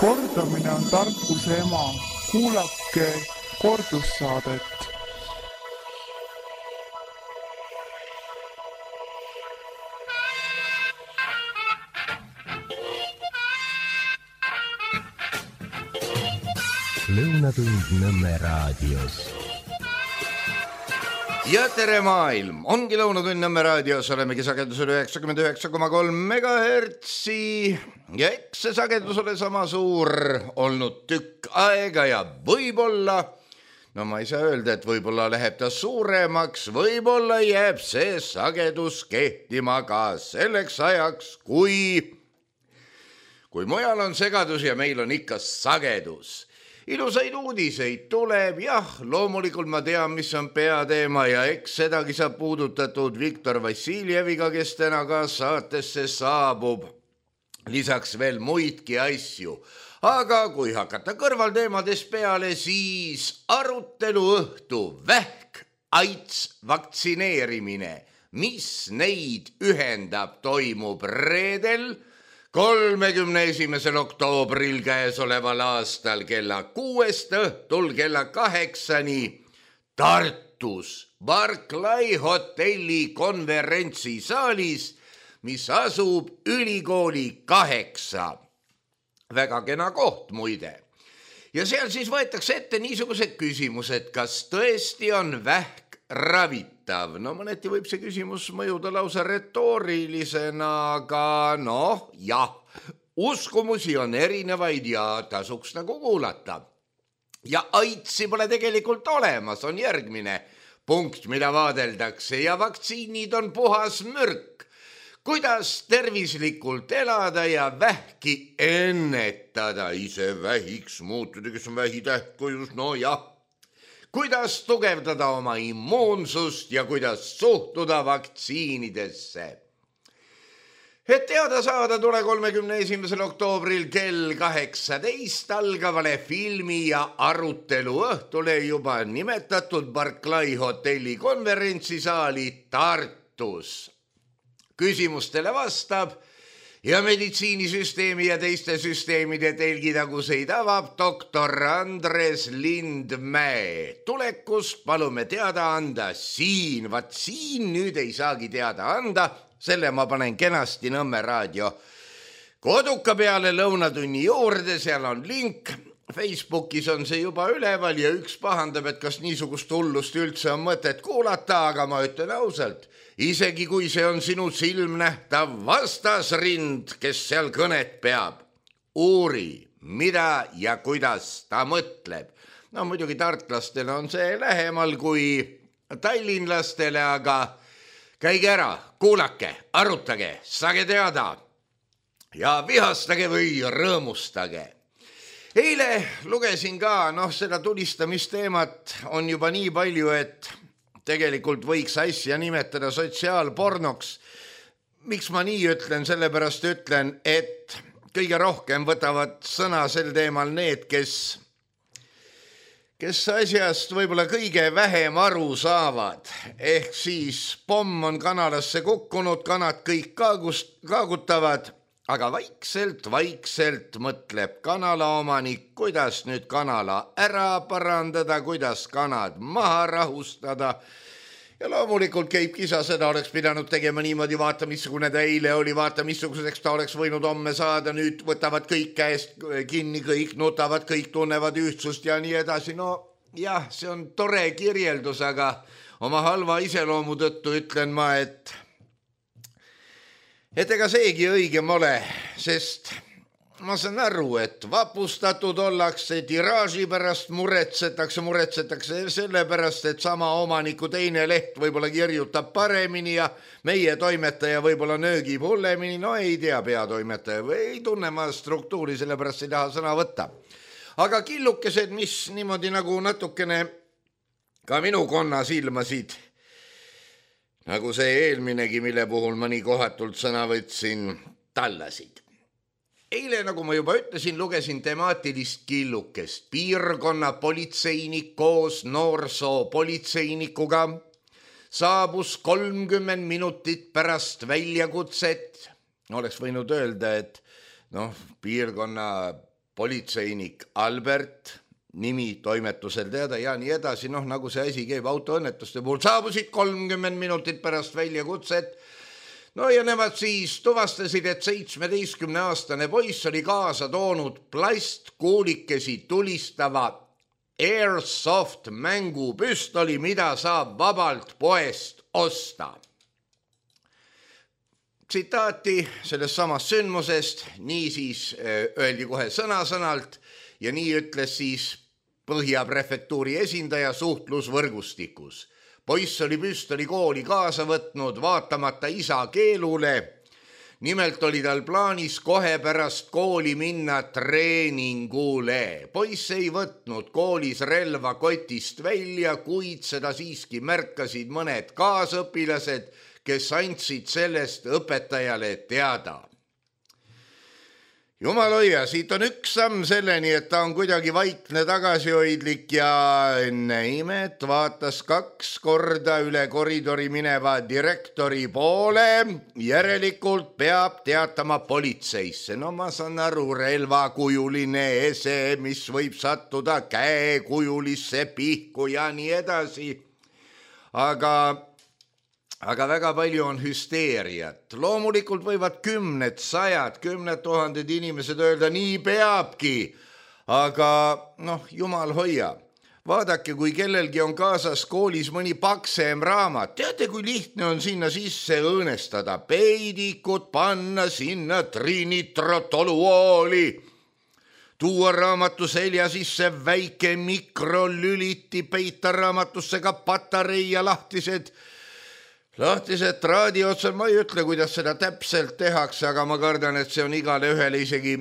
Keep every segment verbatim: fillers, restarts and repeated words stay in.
Kordamine on tarkuse ema. Kuulake kordussaadet. Lõunatund Nõmme raadios. Ja tere maailm, ongi Lõunatund Nõmme raadios, olemegi sagedusel üheksakümmend üheksa koma kolm megahertsi ja eks see sagedus ole sama suur olnud tükk aega ja võib-olla, no ma ei saa öelda, et võib-olla läheb ta suuremaks, võib-olla jääb see sagedus kehtima ka selleks ajaks, kui, kui mujal on segadus ja meil on ikka sagedus. Ilusaid uudiseid tuleb, jah, loomulikult ma tean, mis on peateema ja eks sedagi saab puudutatud Viktor Vassiljeviga, kes täna ka saatesse saabub. Lisaks veel muidki asju. Aga kui hakata kõrvalteemades peale, siis arutelu õhtu, vähk, aits, vaktsineerimine, mis neid ühendab, toimub reedel, kolmekümne esimesel oktoobril käesoleval aastal kella kuuest õhtul kella kaheksani Tartus Barclay hotelli konverentsisaalis, mis asub ülikooli kaheksa. Väga kena koht muide. Ja seal siis võetakse ette niisugused küsimused, kas tõesti on vähk ravitav. No mõneti võib see küsimus mõjuda lausa retoorilisena, aga noh, jah, uskumusi on erinevaid ja tasuks nagu kuulata. Ja aitsi pole tegelikult olemas, on järgmine punkt, mida vaadeldakse ja vaktsiinid on puhas mürk. Kuidas tervislikult elada ja vähki ennetada, ise vähiks muutuda, kes on vähitähtkujus, no jah. Kuidas tugevdada oma immuunsust ja kuidas suhtuda vaktsiinidesse. Et teada saada, tule kolmekümne esimesel oktoobril kell kaheksateist algavale filmi ja arutelu õhtule juba nimetatud Barclay hotelli konverentsisaali Tartus. Küsimustele vastab ja meditsiinisüsteemi ja teiste süsteemide telgitaguseid avab doktor Andres Lindmäe. Tulekus palume teada anda siin, vaat siin nüüd ei saagi teada anda, selle ma panen kenasti Nõmme raadio koduka peale Lõunatunni juurde, seal on link. Facebookis on see juba üleval ja üks pahandab, et kas niisugust hullust üldse on mõtet kuulata, aga ma ütlen ausalt, isegi kui see on sinu silmnähtav vastasrind, kes seal kõnet peab, uuri, mida ja kuidas ta mõtleb. No muidugi tartlastele on see lähemal kui tallinlastele, aga käige ära, kuulake, arutage, saage teada ja vihastage või rõõmustage. Eile lugesin ka, noh, seda tulistamisteemat on juba nii palju, et tegelikult võiks asja nimetada sotsiaalpornoks. Miks ma nii ütlen? Sellepärast ütlen, et kõige rohkem võtavad sõna sel teemal need, kes, kes asjast võib-olla kõige vähem aru saavad. Ehk siis pomm on kanalasse kukkunud, kanad kõik kaagust, kaagutavad, aga vaikselt, vaikselt mõtleb kanala omanik, kuidas nüüd kanala ära parandada, kuidas kanad maha rahustada. Ja loomulikult käib kisa, seda oleks pidanud tegema niimoodi, vaata missugune ta eile oli, vaata missuguseks ta oleks võinud homme saada, nüüd võtavad kõik käest kinni, kõik nutavad, kõik tunnevad ühtsust ja nii edasi. No jah, see on tore kirjeldus, aga oma halva iseloomu tõttu ütlen ma, et Et ega seegi õigem ole, sest ma saan aru, et vapustatud ollakse, tiraaži pärast muretsetakse, muretsetakse selle pärast, et sama omaniku teine leht võib-olla kirjutab paremini ja meie toimetaja võib-olla nöögib hullemini, no ei tea peatoimetaja või ei tunne ma struktuuri, selle pärast ei taha sõna võtta. Aga killukesed, mis niimoodi nagu natukene ka minu konna silmasid, nagu see eelminegi, mille puhul ma nii kohatult sõna võtsin, tallasid. Eile, nagu ma juba ütlesin, lugesin temaatilist killukest. Piirkonna politseinik koos noorsoo politseinikuga saabus kolmkümmend minutit pärast väljakutset. Oleks võinud öelda, et noh, piirkonna politseinik Albert, nimi toimetusel teada ja nii edasi, noh nagu see asi käib autoõnnetuste puhul, saabusid kolmkümmend minutit pärast väljakutset. No ja nemad siis tuvastasid, et seitsmeteistkümne aastane poiss oli kaasa toonud plastkuulikesi tulistava Airsoft mängupüstoli, mida saab vabalt poest osta. Tsitaati sellest samast sündmusest, nii siis öeldi kohe sõna-sõnalt ja nii ütles siis Põhja prefektuuri esindaja suhtlusvõrgustikus. Poiss oli püstoli kooli kaasa võtnud vaatamata isa keelule. Nimelt oli tal plaanis kohe pärast kooli minna treeningule. Poiss ei võtnud koolis relva kotist välja, kuid seda siiski märkasid mõned kaasõpilased, kes andsid sellest õpetajale teada. Jumal hoia, siit on üks samm selleni, et ta on kuidagi vaikne tagasihoidlik ja enne imet vaatas kaks korda üle koridori mineva direktori poole. Järelikult peab teatama politseisse. No ma saan aru, relvakujuline ese, mis võib sattuda käekujulisse pihku ja nii edasi. Aga... Aga väga palju on hüsteeriat. Loomulikult võivad kümned, sajad, kümned tuhanded inimesed öelda, nii peabki. Aga noh, jumal hoia. Vaadake, kui kellelgi on kaasas koolis mõni paksem raamat. Teate, kui lihtne on sinna sisse õõnestada. Peidikut panna sinna trinitrotoluooli. Tuua raamatu selja sisse väike mikrolüliti, peita raamatusse ka patarei ja lahtised Lahtised traadi otsal, ma ei ütle, kuidas seda täpselt tehakse, aga ma kardan, et see on igale ühele isegi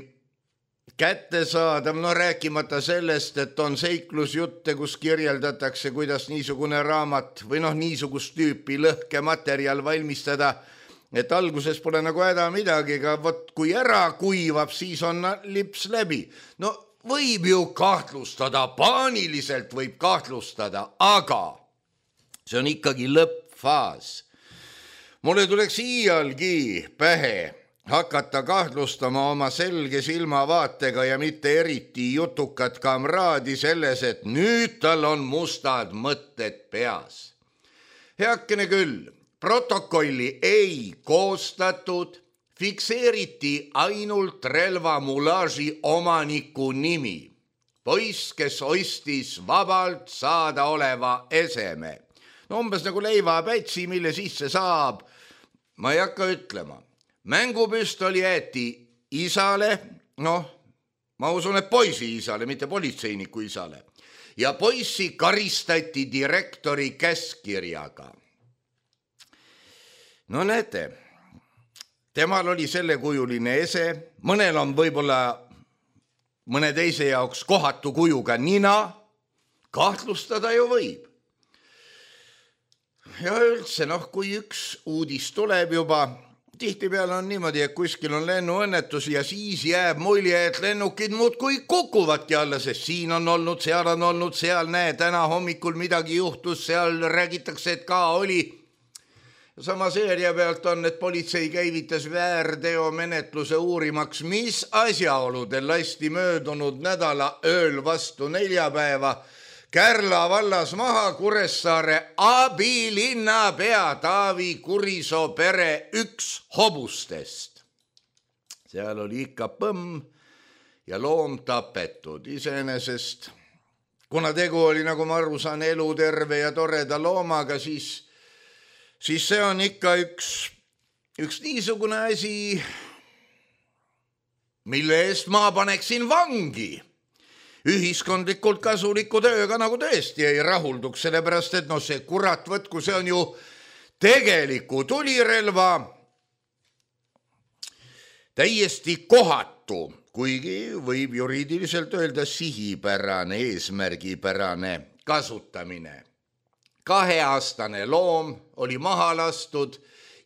kättesaadav. No rääkimata sellest, et on seiklusjutte, kus kirjeldatakse, kuidas niisugune raamat või noh, niisugust tüüpi lõhkematerjal valmistada, et alguses pole nagu häda midagi, aga võt, kui ära kuivab, siis on lips läbi. No võib ju kahtlustada, paaniliselt võib kahtlustada, aga see on ikkagi lõppfaas. Mulle tuleks iialgi pähe hakata kahtlustama oma selge silmavaatega ja mitte eriti jutukat kamraadi selles, et nüüd tal on mustad mõtted peas. Heakene küll, protokolli ei koostatud, fikseeriti ainult relvamulaaži omaniku nimi. Poiss, kes ostis vabalt saada oleva eseme. No umbes nagu leivapätsi, mille sisse saab, ma ei hakka ütlema. Mängupüstoli jäeti isale, noh, ma usun, et poisi isale, mitte politseiniku isale. Ja poissi karistati direktori käskirjaga. No näete, temal oli sellekujuline ese, mõnel on võib-olla mõne teise jaoks kohatu kujuga nina, kahtlustada ju võib. Ja üldse, noh, kui üks uudis tuleb juba, tihtipeale on niimoodi, et kuskil on lennuõnnetus ja siis jääb mulje, et lennukid muudkui kukuvadki alla, sest siin on olnud, seal on olnud, seal näe, täna hommikul midagi juhtus, seal räägitakse, et ka oli. Sama seeria pealt on, et politsei käivitas väärteo menetluse uurimaks, mis asjaoludel lasti möödunud nädala ööl vastu neljapäeva Kärla vallas maha Kuressaare abilinnapea Taavi Kurisoo pere üks hobustest. Seal oli ikka põmm ja loom tapetud iseenesest. Kuna tegu oli, nagu ma aru saan, eluterve ja toreda loomaga, siis, siis see on ikka üks, üks niisugune asi, mille eest ma paneksin vangi. Ühiskondlikult kasuliku tööga nagu tõesti ei rahulduks, sellepärast, et no see kurat võtku, see on ju tegeliku tulirelva täiesti kohatu, kuigi võib juriidiliselt öelda sihipärane, eesmärgipärane kasutamine. Kaheaastane loom oli maha lastud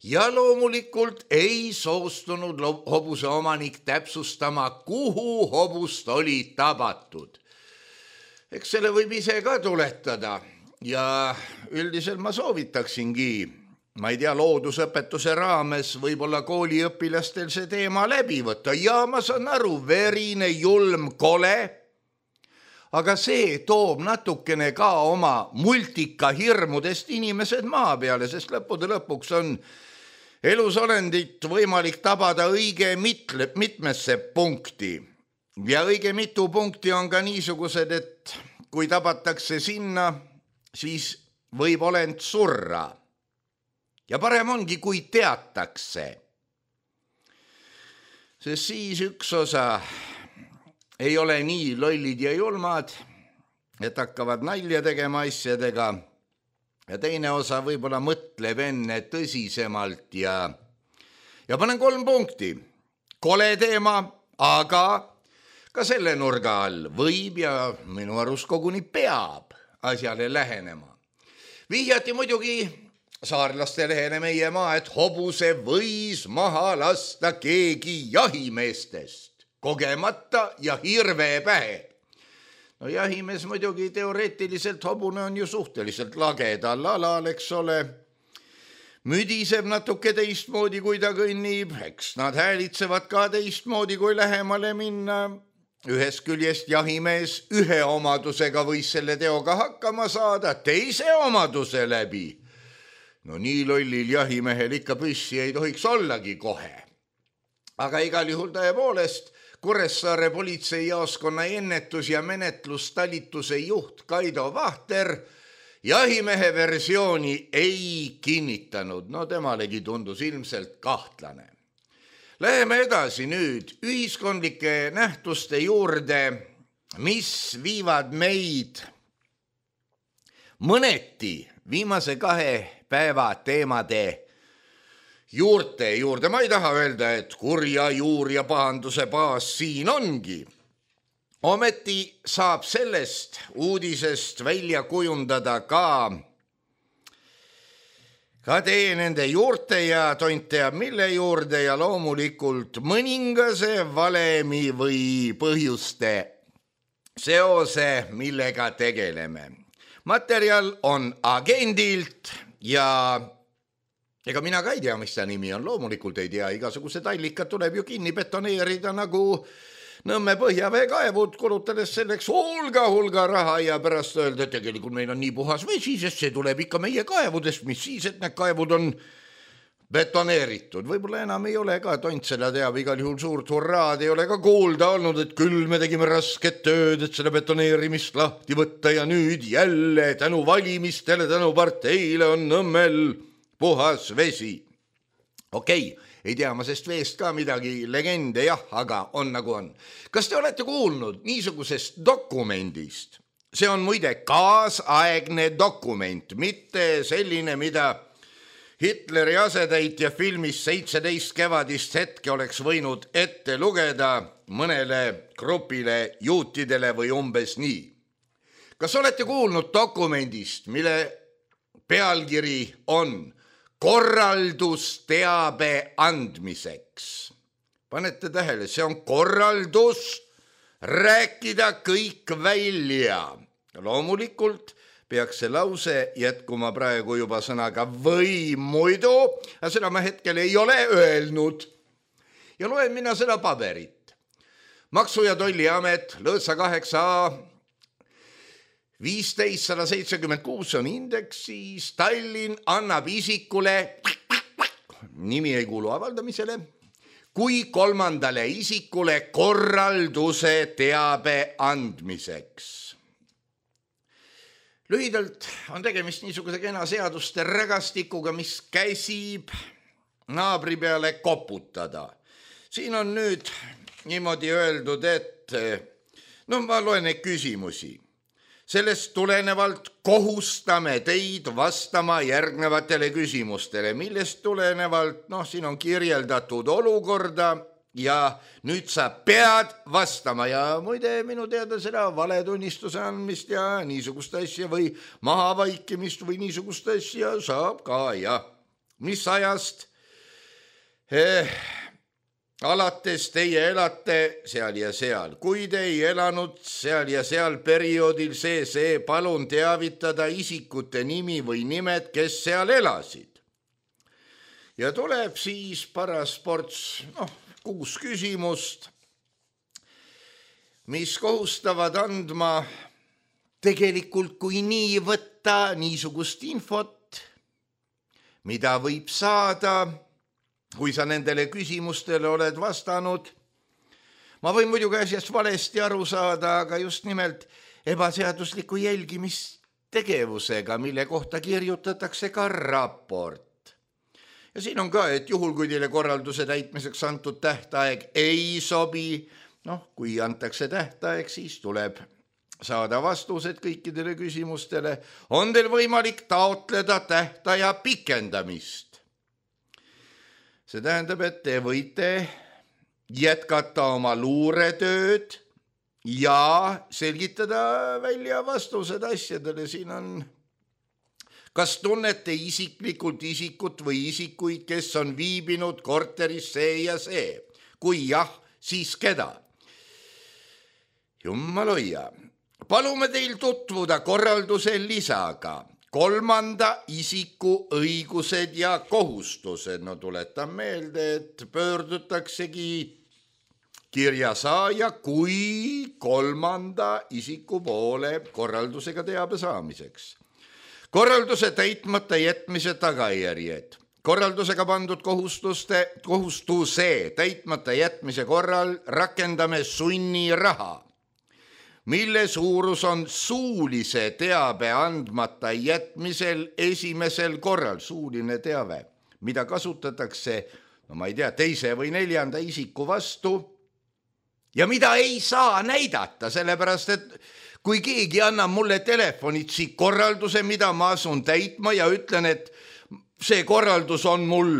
ja loomulikult ei soostunud hobuse omanik täpsustama, kuhu hobust oli tabatud. Eks selle võib ise ka tuletada ja üldiselt ma soovitaksingi ma ei tea, loodusõpetuse raames võib-olla kooliõpilastel see teema läbi võtta ja ma saan aru, verine, julm, kole, aga see toob natukene ka oma multika hirmudest inimesed maa peale, sest lõppude lõpuks on elusolendit võimalik tabada õige mitle, mitmesse punkti ja õige mitu punkti on ka niisugused, et kui tabatakse sinna, siis võib olend surra. Ja parem ongi, kui teatakse. Sest siis üks osa ei ole nii lollid ja julmad, et hakkavad nalja tegema asjadega. Ja teine osa võib-olla mõtleb enne tõsisemalt ja, ja panen kolm punkti. Kole teema, aga ka selle nurga all võib ja minu arust koguni peab asjale lähenema. Vihjati muidugi saarlaste lehele meie maa, et hobuse võis maha lasta keegi jahimeestest, kogemata ja hirve pähe. No jahimees muidugi teoreetiliselt hobune on ju suhteliselt lagedal alal, eks ole. Müdiseb natuke teistmoodi, kui ta kõnnib, eks nad häälitsevad ka teistmoodi, kui lähemale minna. Ühest küljest jahimees ühe omadusega võis selle teoga hakkama saada, teise omaduse läbi. No nii lollil jahimehel ikka püssi ei tohiks ollagi kohe. Aga igal juhul tõepoolest Kuressaare politseijaoskonna ennetus- ja menetlustalituse juht Kaido Vahter jahimehe versiooni ei kinnitanud. No temalegi tundus ilmselt kahtlane. Läheme edasi nüüd ühiskondlike nähtuste juurde, mis viivad meid mõneti viimase kahe päeva teemade juurte juurde. Ma ei taha öelda, et kurja juur ja pahanduse baas siin ongi. Ometi saab sellest uudisest välja kujundada ka, ka tee nende juurte ja tont teab mille juurde ja loomulikult mõningase valemi või põhjuste seose, millega tegeleme. Materjal on agendilt ja ega mina ka ei tea, mis ta nimi on, loomulikult ei tea, igasugused allikad tuleb ju kinni betoneerida nagu Nõmme põhjaveekaevud, kulutades selleks hulga, hulga raha ja pärast öelda, et tegelikult meil on nii puhas vesi, sest see tuleb ikka meie kaevudest, mis siis, et need kaevud on betoneeritud. Võib-olla enam ei ole ka, tont seda teab, igal juhul suurt hurraad ei ole ka kuulda olnud, et küll me tegime rasket tööd, et seda betoneerimist lahti võtta ja nüüd jälle tänu valimistele, tänu parteile on Nõmmel puhas vesi. Okei, ei tea ma sest veest ka midagi, legende jah, aga on nagu on. Kas te olete kuulnud niisugusest dokumendist? See on muide kaasaegne dokument, mitte selline, mida Hitleri asetäitja filmis seitseteist kevadist hetke oleks võinud ette lugeda mõnele grupile juutidele või umbes nii. Kas olete kuulnud dokumendist, mille pealkiri on korraldusteabe andmiseks? Panete tähele, see on korraldus rääkida kõik välja. Loomulikult peaks see lause jätkuma praegu juba sõnaga või muidu, aga seda ma hetkel ei ole öelnud. Ja loen mina seda paberit. Maksu- ja Tolliamet, Lõõtsa kaheksa A, viisteist sada seitsekümmend kuus on indeksis, Tallinn annab isikule, nimi ei kuulu avaldamisele, kui kolmandale isikule korralduse teabe andmiseks. Lühidalt on tegemist niisuguse kena seaduste rägastikuga, mis käsib naabri peale koputada. Siin on nüüd niimoodi öeldud, et no ma loen neid küsimusi. Sellest tulenevalt kohustame teid vastama järgnevatele küsimustele, millest tulenevalt, noh, siin on kirjeldatud olukorda ja nüüd sa pead vastama ja muide minu teada seda valetunnistuse andmist ja niisugust asja või mahavaikimist või niisugust asja saab ka ja mis ajast eh, alates teie elate seal ja seal. Kui te ei elanud seal ja seal perioodil see, see palun teavitada isikute nimi või nimed, kes seal elasid. ja tuleb siis paras ports, noh, kuus küsimust, mis kohustavad andma tegelikult kui nii võtta niisugust infot, mida võib saada, kui sa nendele küsimustele oled vastanud. Ma võin muidugi asjast valesti aru saada, aga just nimelt ebaseadusliku jälgimistegevusega, mille kohta kirjutatakse ka raport. Ja siin on ka, et juhul, kui teile korralduse täitmiseks antud tähtaeg ei sobi, noh, kui antakse tähtaeg, siis tuleb saada vastused kõikidele küsimustele. On teil võimalik taotleda tähtaja pikendamist. See tähendab, et te võite jätkata oma luuretööd ja selgitada välja vastused asjadele. Siin on, kas tunnete isiklikult isikut või isikuid, kes on viibinud korteris see ja see? Kui jah, siis keda? Jummaloia. Palume teil tutvuda korralduse lisaga. Kolmanda isiku õigused ja kohustused. No tuletan meelde, et pöördutaksegi kirja saaja kui kolmanda isiku poole korraldusega teabe saamiseks. Korralduse täitmata jätmise tagajärjed. Korraldusega pandud kohustuste, kohustuse täitmata jätmise korral rakendame sunniraha, mille suurus on suulise teabe andmata jätmisel esimesel korral. Suuline teave, mida kasutatakse, no ma ei tea, teise või neljanda isiku vastu ja mida ei saa näidata, sellepärast et kui keegi annab mulle telefonitsi korralduse, mida ma asun täitma ja ütlen, et see korraldus on mul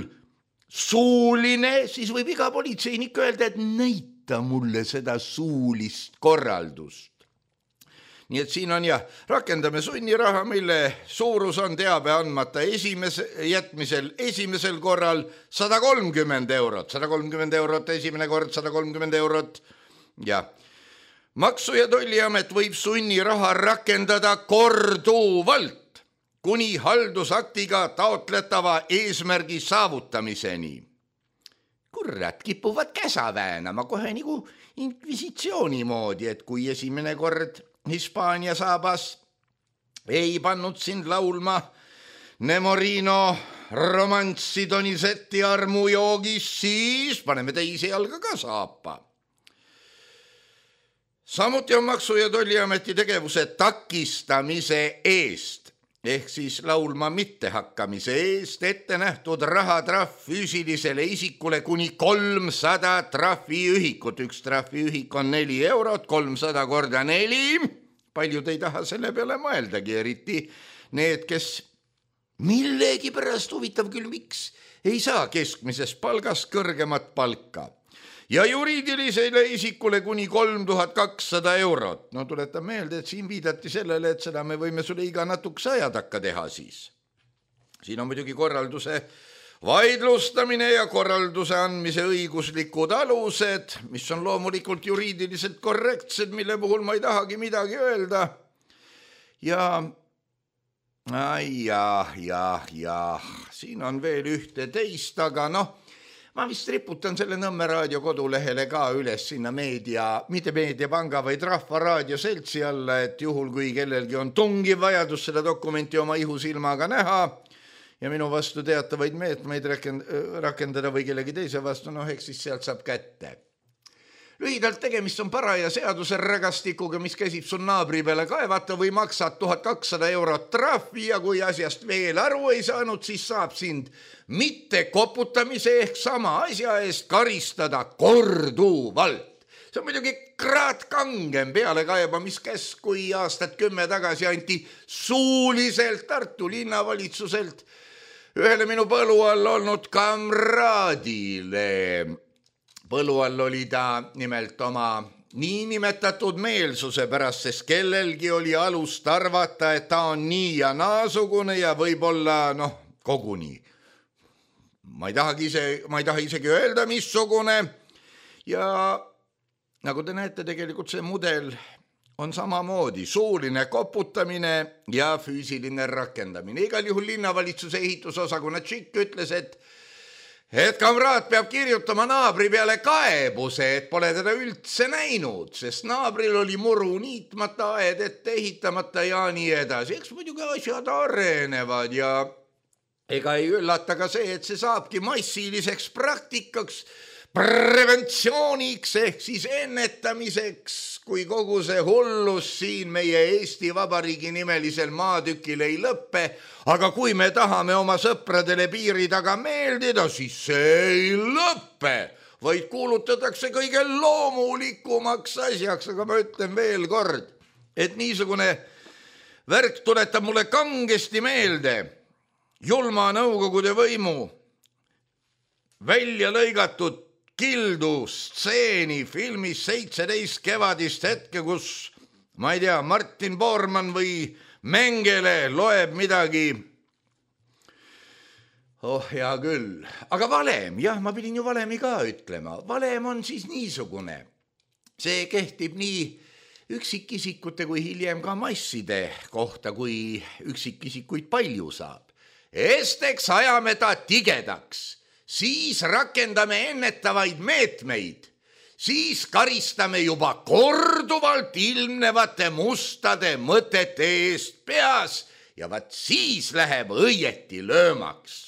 suuline, siis võib iga politseinik öelda, et näita mulle seda suulist korraldust. Nii et siin on jah, rakendame sunniraha, mille suurus on teabe andmata esimese, jätmisel esimesel korral sada kolmkümmend eurot, sada kolmkümmend eurot esimene kord, sada kolmkümmend eurot ja Maksu- ja Tolliamet võib sunniraha rakendada korduvalt kuni haldusaktiga taotletava eesmärgi saavutamiseni. Kurat, kipuvad käsa väänama kohe nagu inkvisitsiooni moodi, et kui esimene kord Hispaania saabas ei pannud sind laulma Nemorino romanssi Donizetti armujoogis, siis paneme teise jalga ka saapa. Samuti on Maksu- ja Tolliameti tegevuse takistamise eest, ehk siis laulma mittehakkamise eest ette nähtud rahatrahv füüsilisele isikule kuni kolmsada trahviühikut. Üks trahviühik on neli eurot, kolmsada korda neli. Paljud ei taha selle peale mõeldagi, eriti need, kes millegi pärast, huvitav küll, miks ei saa keskmisest palgast kõrgemat palka. Ja juriidilisele isikule kuni kolm tuhat kakssada eurot. No tuletan meelde, et siin viidati sellele, et seda me võime sulle iga natukese aja takka teha siis. Siin on muidugi korralduse vaidlustamine ja korralduse andmise õiguslikud alused, mis on loomulikult juriidiliselt korrektsed, mille puhul ma ei tahagi midagi öelda. Ja, ja, ja, ja, siin on veel ühte teist, aga noh, ma vist riputan selle Nõmme raadio kodulehele ka üles sinna meedia, mitte meediapanga, vaid Rahva Raadio seltsi alla, et juhul kui kellelgi on tungiv vajadus seda dokumenti oma ihusilmaga näha ja minu vastu teatavaid meetmeid rakendada või kellegi teise vastu, noh, eks siis sealt saab kätte. Lühidalt tegemist on paraja seaduse rägastikuga, mis käsib sun naabri peale kaevata või maksad tuhat kakssada eurot trahvi ja kui asjast veel aru ei saanud, siis saab sind mitte koputamise ehk sama asja eest karistada korduvalt. See on muidugi kraat kangem pealekaebamiskäsk, kui aastat kümme tagasi anti suuliselt Tartu linnavalitsuselt ühele minu põlu all olnud kamraadile. Põlu all oli ta nimelt oma niinimetatud meelsuse pärast, sest kellelgi oli alust arvata, et ta on nii ja naasugune ja võib-olla, noh, koguni. Ma ei tahagi ise, ma ei taha isegi öelda, missugune. Ja nagu te näete, tegelikult see mudel on samamoodi suuline koputamine ja füüsiline rakendamine. Igal juhul linnavalitsuse ehitusosakonna tšikk ütles, et et kamraad peab kirjutama naabri peale kaebuse, et pole teda üldse näinud, sest naabril oli muru niitmata, aed ette ehitamata ja nii edasi. Eks muidugi asjad arenevad ja ega ei üllata ka see, et see saabki massiliseks praktikaks, preventsiooniks ehk siis ennetamiseks, kui kogu see hullus siin meie Eesti Vabariigi nimelisel maatükil ei lõppe, aga kui me tahame oma sõpradele piiri taga meeldida, siis see ei lõppe, vaid kuulutatakse kõige loomulikumaks asjaks, aga ma ütlen veel kord, et niisugune värk tuletab mulle kangesti meelde julma Nõukogude võimu välja lõigatud kildu stseeni filmis seitseteist kevadist hetke, kus, ma ei tea, Martin Bormann või Mengele loeb midagi. Oh, hea küll. Aga valem, jah, ma pidin ju valemi ka ütlema. Valem on siis niisugune. See kehtib nii üksikisikute kui hiljem ka masside kohta, kui üksikisikuid palju saab. Esteks ajame ta tigedaks. Siis rakendame ennetavaid meetmeid, siis karistame juba korduvalt ilmnevate mustade mõtete eest peas ja vaat siis läheb õieti löömaks.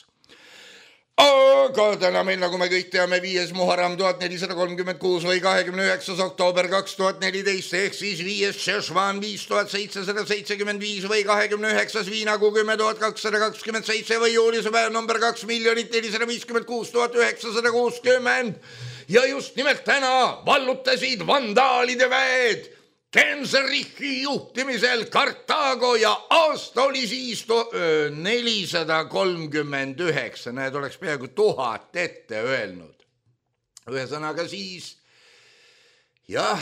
Aga täna meil, nagu me kõik teame, viies Muharram tuhat nelisada kolmkümmend kuus või kahekümne üheksas oktoober kaks tuhat neliteist ehk siis viies Šešvan viis tuhat seitsesada seitsekümmend viis või kahekümne üheksas Viinakuu kümme tuhat kakssada kakskümmend seitse või juulise päev number kaks miljonit nelisada viiskümmend kuus tuhat üheksasada kuuskümmend. Ja just nimelt täna vallutasid vandaalide väed Genserichi juhtimisel Kartaago ja aasta oli siis nelisada kolmkümmend üheksa, need oleks peaaegu tuhat ette öelnud. Ühesõnaga siis, jah,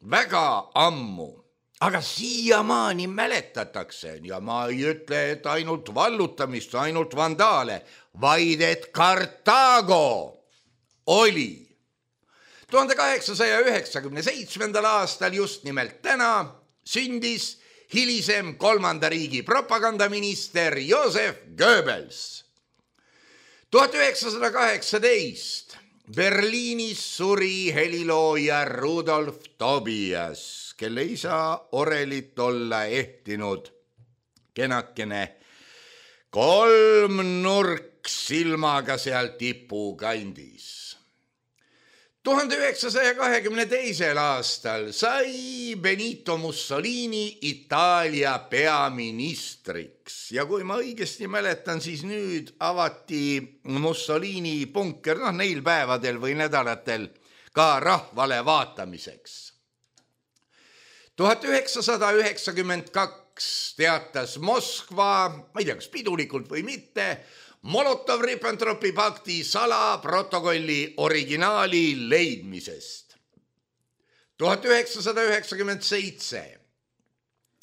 väga ammu, aga siiamaani mäletatakse ja ma ei ütle, et ainult vallutamist, ainult vandaale, vaid et Kartaago oli tuhande kaheksasaja üheksakümne seitsmendal aastal just nimelt täna sündis hilisem kolmanda riigi propagandaminister Joseph Goebbels. tuhat üheksasada kaheksateist Berliinis suri helilooja Rudolf Tobias, kelle isa Orelit olla ehtinud kenakene kolmnurk silmaga seal tipu kandis. tuhande üheksasaja kahekümne teisel aastal sai Benito Mussolini Itaalia peaministriks ja kui ma õigesti mäletan, siis nüüd avati Mussolini punker, noh neil päevadel või nädalatel ka rahvale vaatamiseks. tuhat üheksasada üheksakümmend kaks teatas Moskva, ma ei tea, kas pidulikult või mitte, Molotov-Ribbentropi pakti salaprotokolli originaali leidmisest. tuhat üheksasada üheksakümmend seitse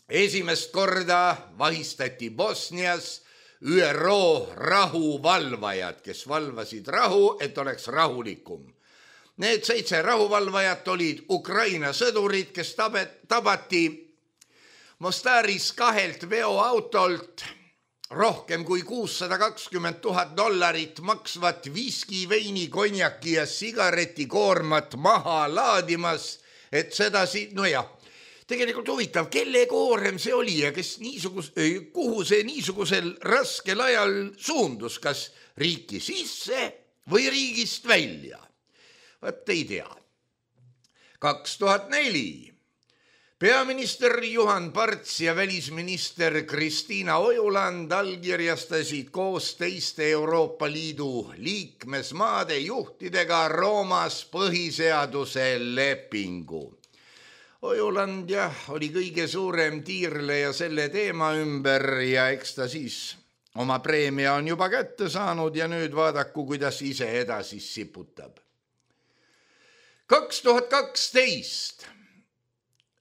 esimest korda vahistati Bosnias Ü R O rahuvalvajad, kes valvasid rahu, et oleks rahulikum. Need seitse rahuvalvajat olid Ukraina sõdurid, kes tabati Mostaris kahelt veoautolt rohkem kui kuussada kakskümmend tuhat dollarit maksvat viski, veini, konjaki ja sigaretikoormat maha laadimas, et seda si-, no jah, tegelikult huvitav, kelle koorem see oli ja kes niisugus, kuhu see niisugusel raskel ajal suundus, kas riiki sisse või riigist välja? Vaat ei tea. kaks tuhat neli peaminister Juhan Parts ja välisminister Kristiina Ojuland allkirjastasid koos teiste Euroopa Liidu liikmesmaade juhtidega Roomas põhiseaduse lepingu. Ojuland jah, oli kõige suurem tiirleja selle teema ümber ja eks ta siis oma preemia on juba kätte saanud ja nüüd vaadaku, kuidas ise edasi siputab. kaks tuhat kaksteist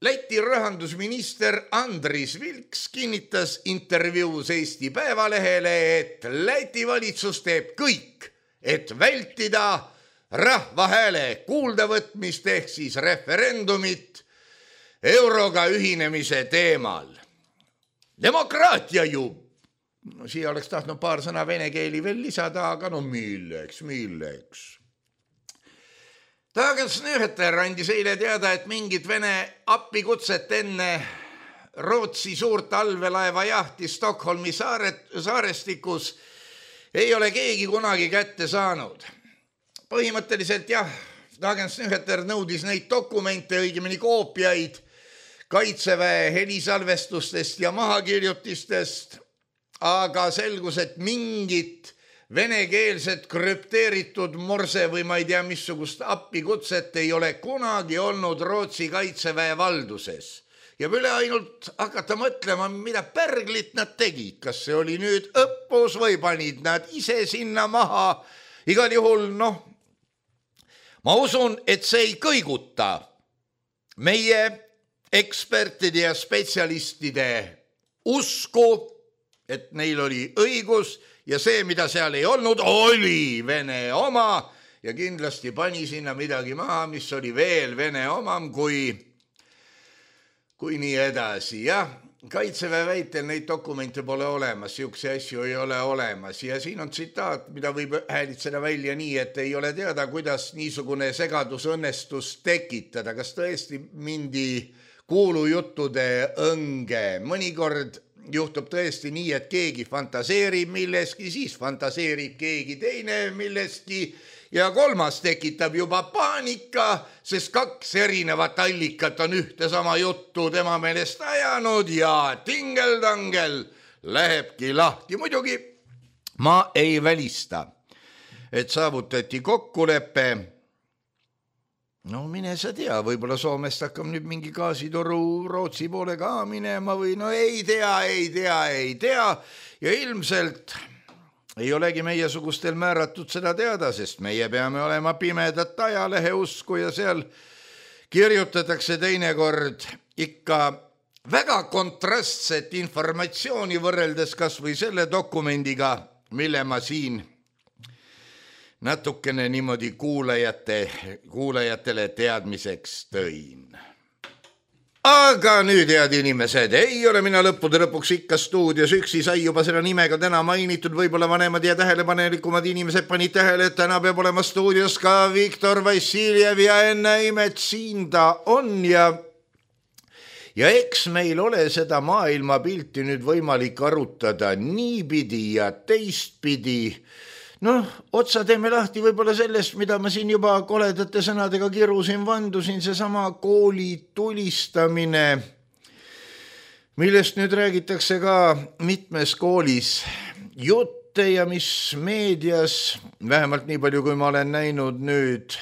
Läti rahandusminister Andris Vilks kinnitas intervjuus Eesti Päevalehele, et Läti valitsus teeb kõik, et vältida rahva hääle kuuldavõtmist ehk siis referendumit euroga ühinemise teemal. Demokraatia ju siia oleks tahtnud paar sõna vene keeli veel lisada, aga no milleks, milleks. Dagens Nyheter andis eile teada, et mingit Vene appikutset enne Rootsi suurt allveelaeva jahti Stockholmi saaret, saarestikus ei ole keegi kunagi kätte saanud. Põhimõtteliselt jah, Dagens Nyheter nõudis neid dokumente, õigemini koopiaid Kaitseväe helisalvestustest ja mahakirjutistest, aga selgus, et mingit venekeelset krüpteeritud morse või ma ei tea missugust appikutset ei ole kunagi olnud Rootsi Kaitseväe valduses. Ja üle ainult hakata mõtlema, mida pärglit nad tegid, kas see oli nüüd õppus või panid nad ise sinna maha. Igal juhul, noh, ma usun, et see ei kõiguta meie ekspertide ja spetsialistide usku, et neil oli õigus ja see, mida seal ei olnud, oli Vene oma ja kindlasti pani sinna midagi maha, mis oli veel Vene omam kui, kui nii edasi. Jah, Kaitseväe väitel neid dokumente pole olemas, siukse asju ei ole olemas ja siin on tsitaat, mida võib häälitseda välja nii, et ei ole teada, kuidas niisugune segadus õnnestus tekitada. Kas tõesti mindi kuulujuttude õnge? Mõnikord juhtub tõesti nii, et keegi fantaseerib milleski, siis fantaseerib keegi teine milleski ja kolmas tekitab juba paanika, sest kaks erinevat allikat on ühte sama juttu tema meelest ajanud ja tingeldangel lähebki lahti. Muidugi ma ei välista, et saavutati kokkulepe. No mine sa tea, võib-olla Soomest hakkab nüüd mingi gaasitoru Rootsi poole ka minema või no ei tea, ei tea, ei tea. Ja ilmselt ei olegi meie sugustel määratud seda teada, sest meie peame olema pimedat ajalehe usku ja seal kirjutatakse teinekord ikka väga kontrastset informatsiooni võrreldes kas või selle dokumendiga, mille ma siin natukene niimoodi kuulajate, kuulajatele teadmiseks tõin. Aga nüüd, head inimesed, ei ole mina lõppude lõpuks ikka stuudios üksi, sai juba selle nimega täna mainitud, võib-olla vanemad ja tähelepanelikumad inimesed panid tähele, et täna peab olema stuudios ka Viktor Vassiljev ja enne imet siin ta on ja ja eks meil ole seda maailmapilti nüüd võimalik arutada niipidi ja teistpidi. Noh, otsa teeme lahti võib-olla sellest, mida ma siin juba koledate sõnadega kirusin, vandusin, see sama kooli tulistamine, millest nüüd räägitakse ka mitmes koolis jutte ja mis meedias, vähemalt nii palju, kui ma olen näinud nüüd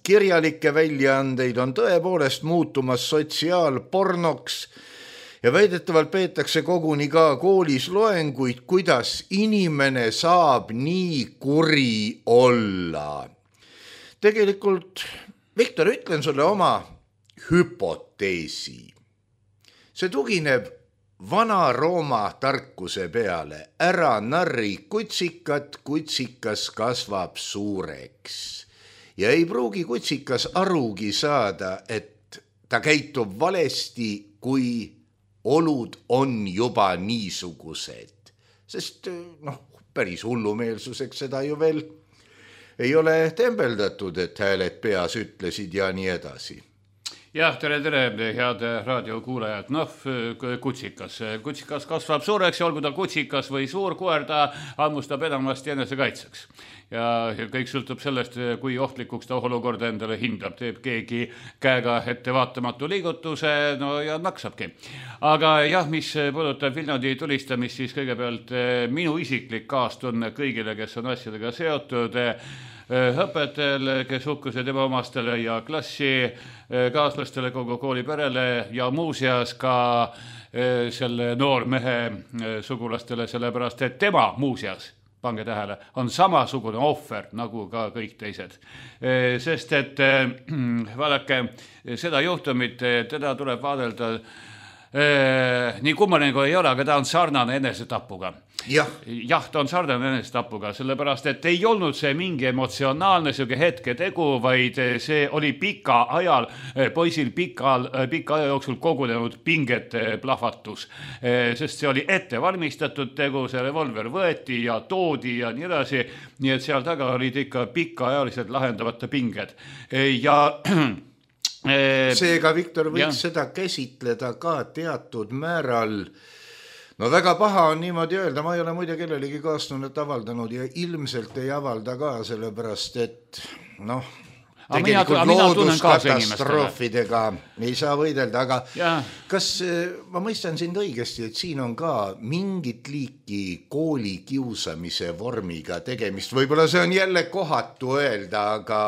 kirjalikke väljaandeid, on tõepoolest muutumas sotsiaalpornoks. Ja väidetavalt peetakse koguni ka koolis loenguid, kuidas inimene saab nii kuri olla. Tegelikult, Viktor, ütlen sulle oma hüpoteesi. See tugineb vana Rooma tarkuse peale. Ära narri kutsikat, kutsikas kasvab suureks. Ja ei pruugi kutsikas arugi saada, et ta käitub valesti, kui olud on juba niisugused, sest noh, päris hullumeelsuseks seda ju veel ei ole tembeldatud, et hääled peas ütlesid ja nii edasi. Jah, tere, tere, head raadiokuulajad. Noh, kutsikas. Kutsikas kasvab suureks ja olgu ta kutsikas või suur koer, ta hammustab enamasti enese kaitseks. Ja kõik sõltub sellest, kui ohtlikuks ta olukorda endale hindab. Teeb keegi käega ettevaatamatu liigutuse, no ja naksabki. Aga jah, mis puudutab Viljandi tulistamist, siis kõigepealt minu isiklik kaastunne kõigile, kes on asjadega seotud, õpetajale, kes hukkusid tema omastele ja klassi kaaslastele, kogu kooli perele ja muuseas ka selle noormehe sugulastele, sellepärast et tema muuseas, pange tähele, on samasugune ohver nagu ka kõik teised. Sest et vaadake, seda juhtumit, teda tuleb vaadelda nii kummaline kui ei ole, aga ta on sarnane enesetapuga. jah, jah, ta on sarnane enesetapuga, sellepärast, et ei olnud see mingi emotsionaalne siuke hetke tegu, vaid see oli pika ajal, poisil pikal, pika aja jooksul kogunenud pingete plahvatus. Sest see oli ette valmistatud tegu, see revolver võeti ja toodi ja nii edasi, nii et seal taga olid ikka pikaajalised lahendavate pinged. Ja seega Viktor võiks ja. seda käsitleda ka teatud määral. No väga paha on niimoodi öelda, ma ei ole muide kellelegi kaastunnet avaldanud ja ilmselt ei avalda ka, sellepärast et noh, tegelikult looduskatastroofidega ei saa võidelda, aga ja. kas ma mõistan sind õigesti, et siin on ka mingit liiki kooli kiusamise vormiga tegemist, võib-olla see on jälle kohatu öelda, aga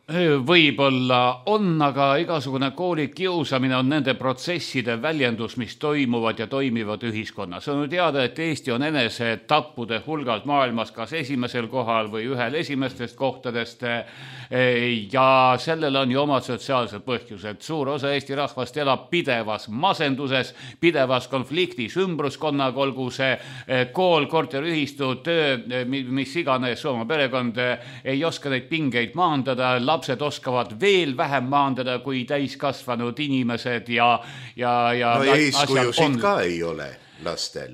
võib-olla on, aga igasugune kooli kiusamine on nende protsesside väljendus, mis toimuvad ja toimivad ühiskonnas. On teada, et Eesti on enese tappude hulgalt maailmas kas esimesel kohal või ühel esimestest kohtadest ja sellel on ju omad sotsiaalsed põhjused. Suur osa Eesti rahvast elab pidevas masenduses, pidevas konfliktis ümbruskonnaga, olgu see kool, korteriühistu, töö, mis iganes oma perekond ei oska neid pingeid maandada, lapsed oskavad veel vähem maandada kui täiskasvanud inimesed ja, ja, ja no eeskujusid ka ei ole lastel.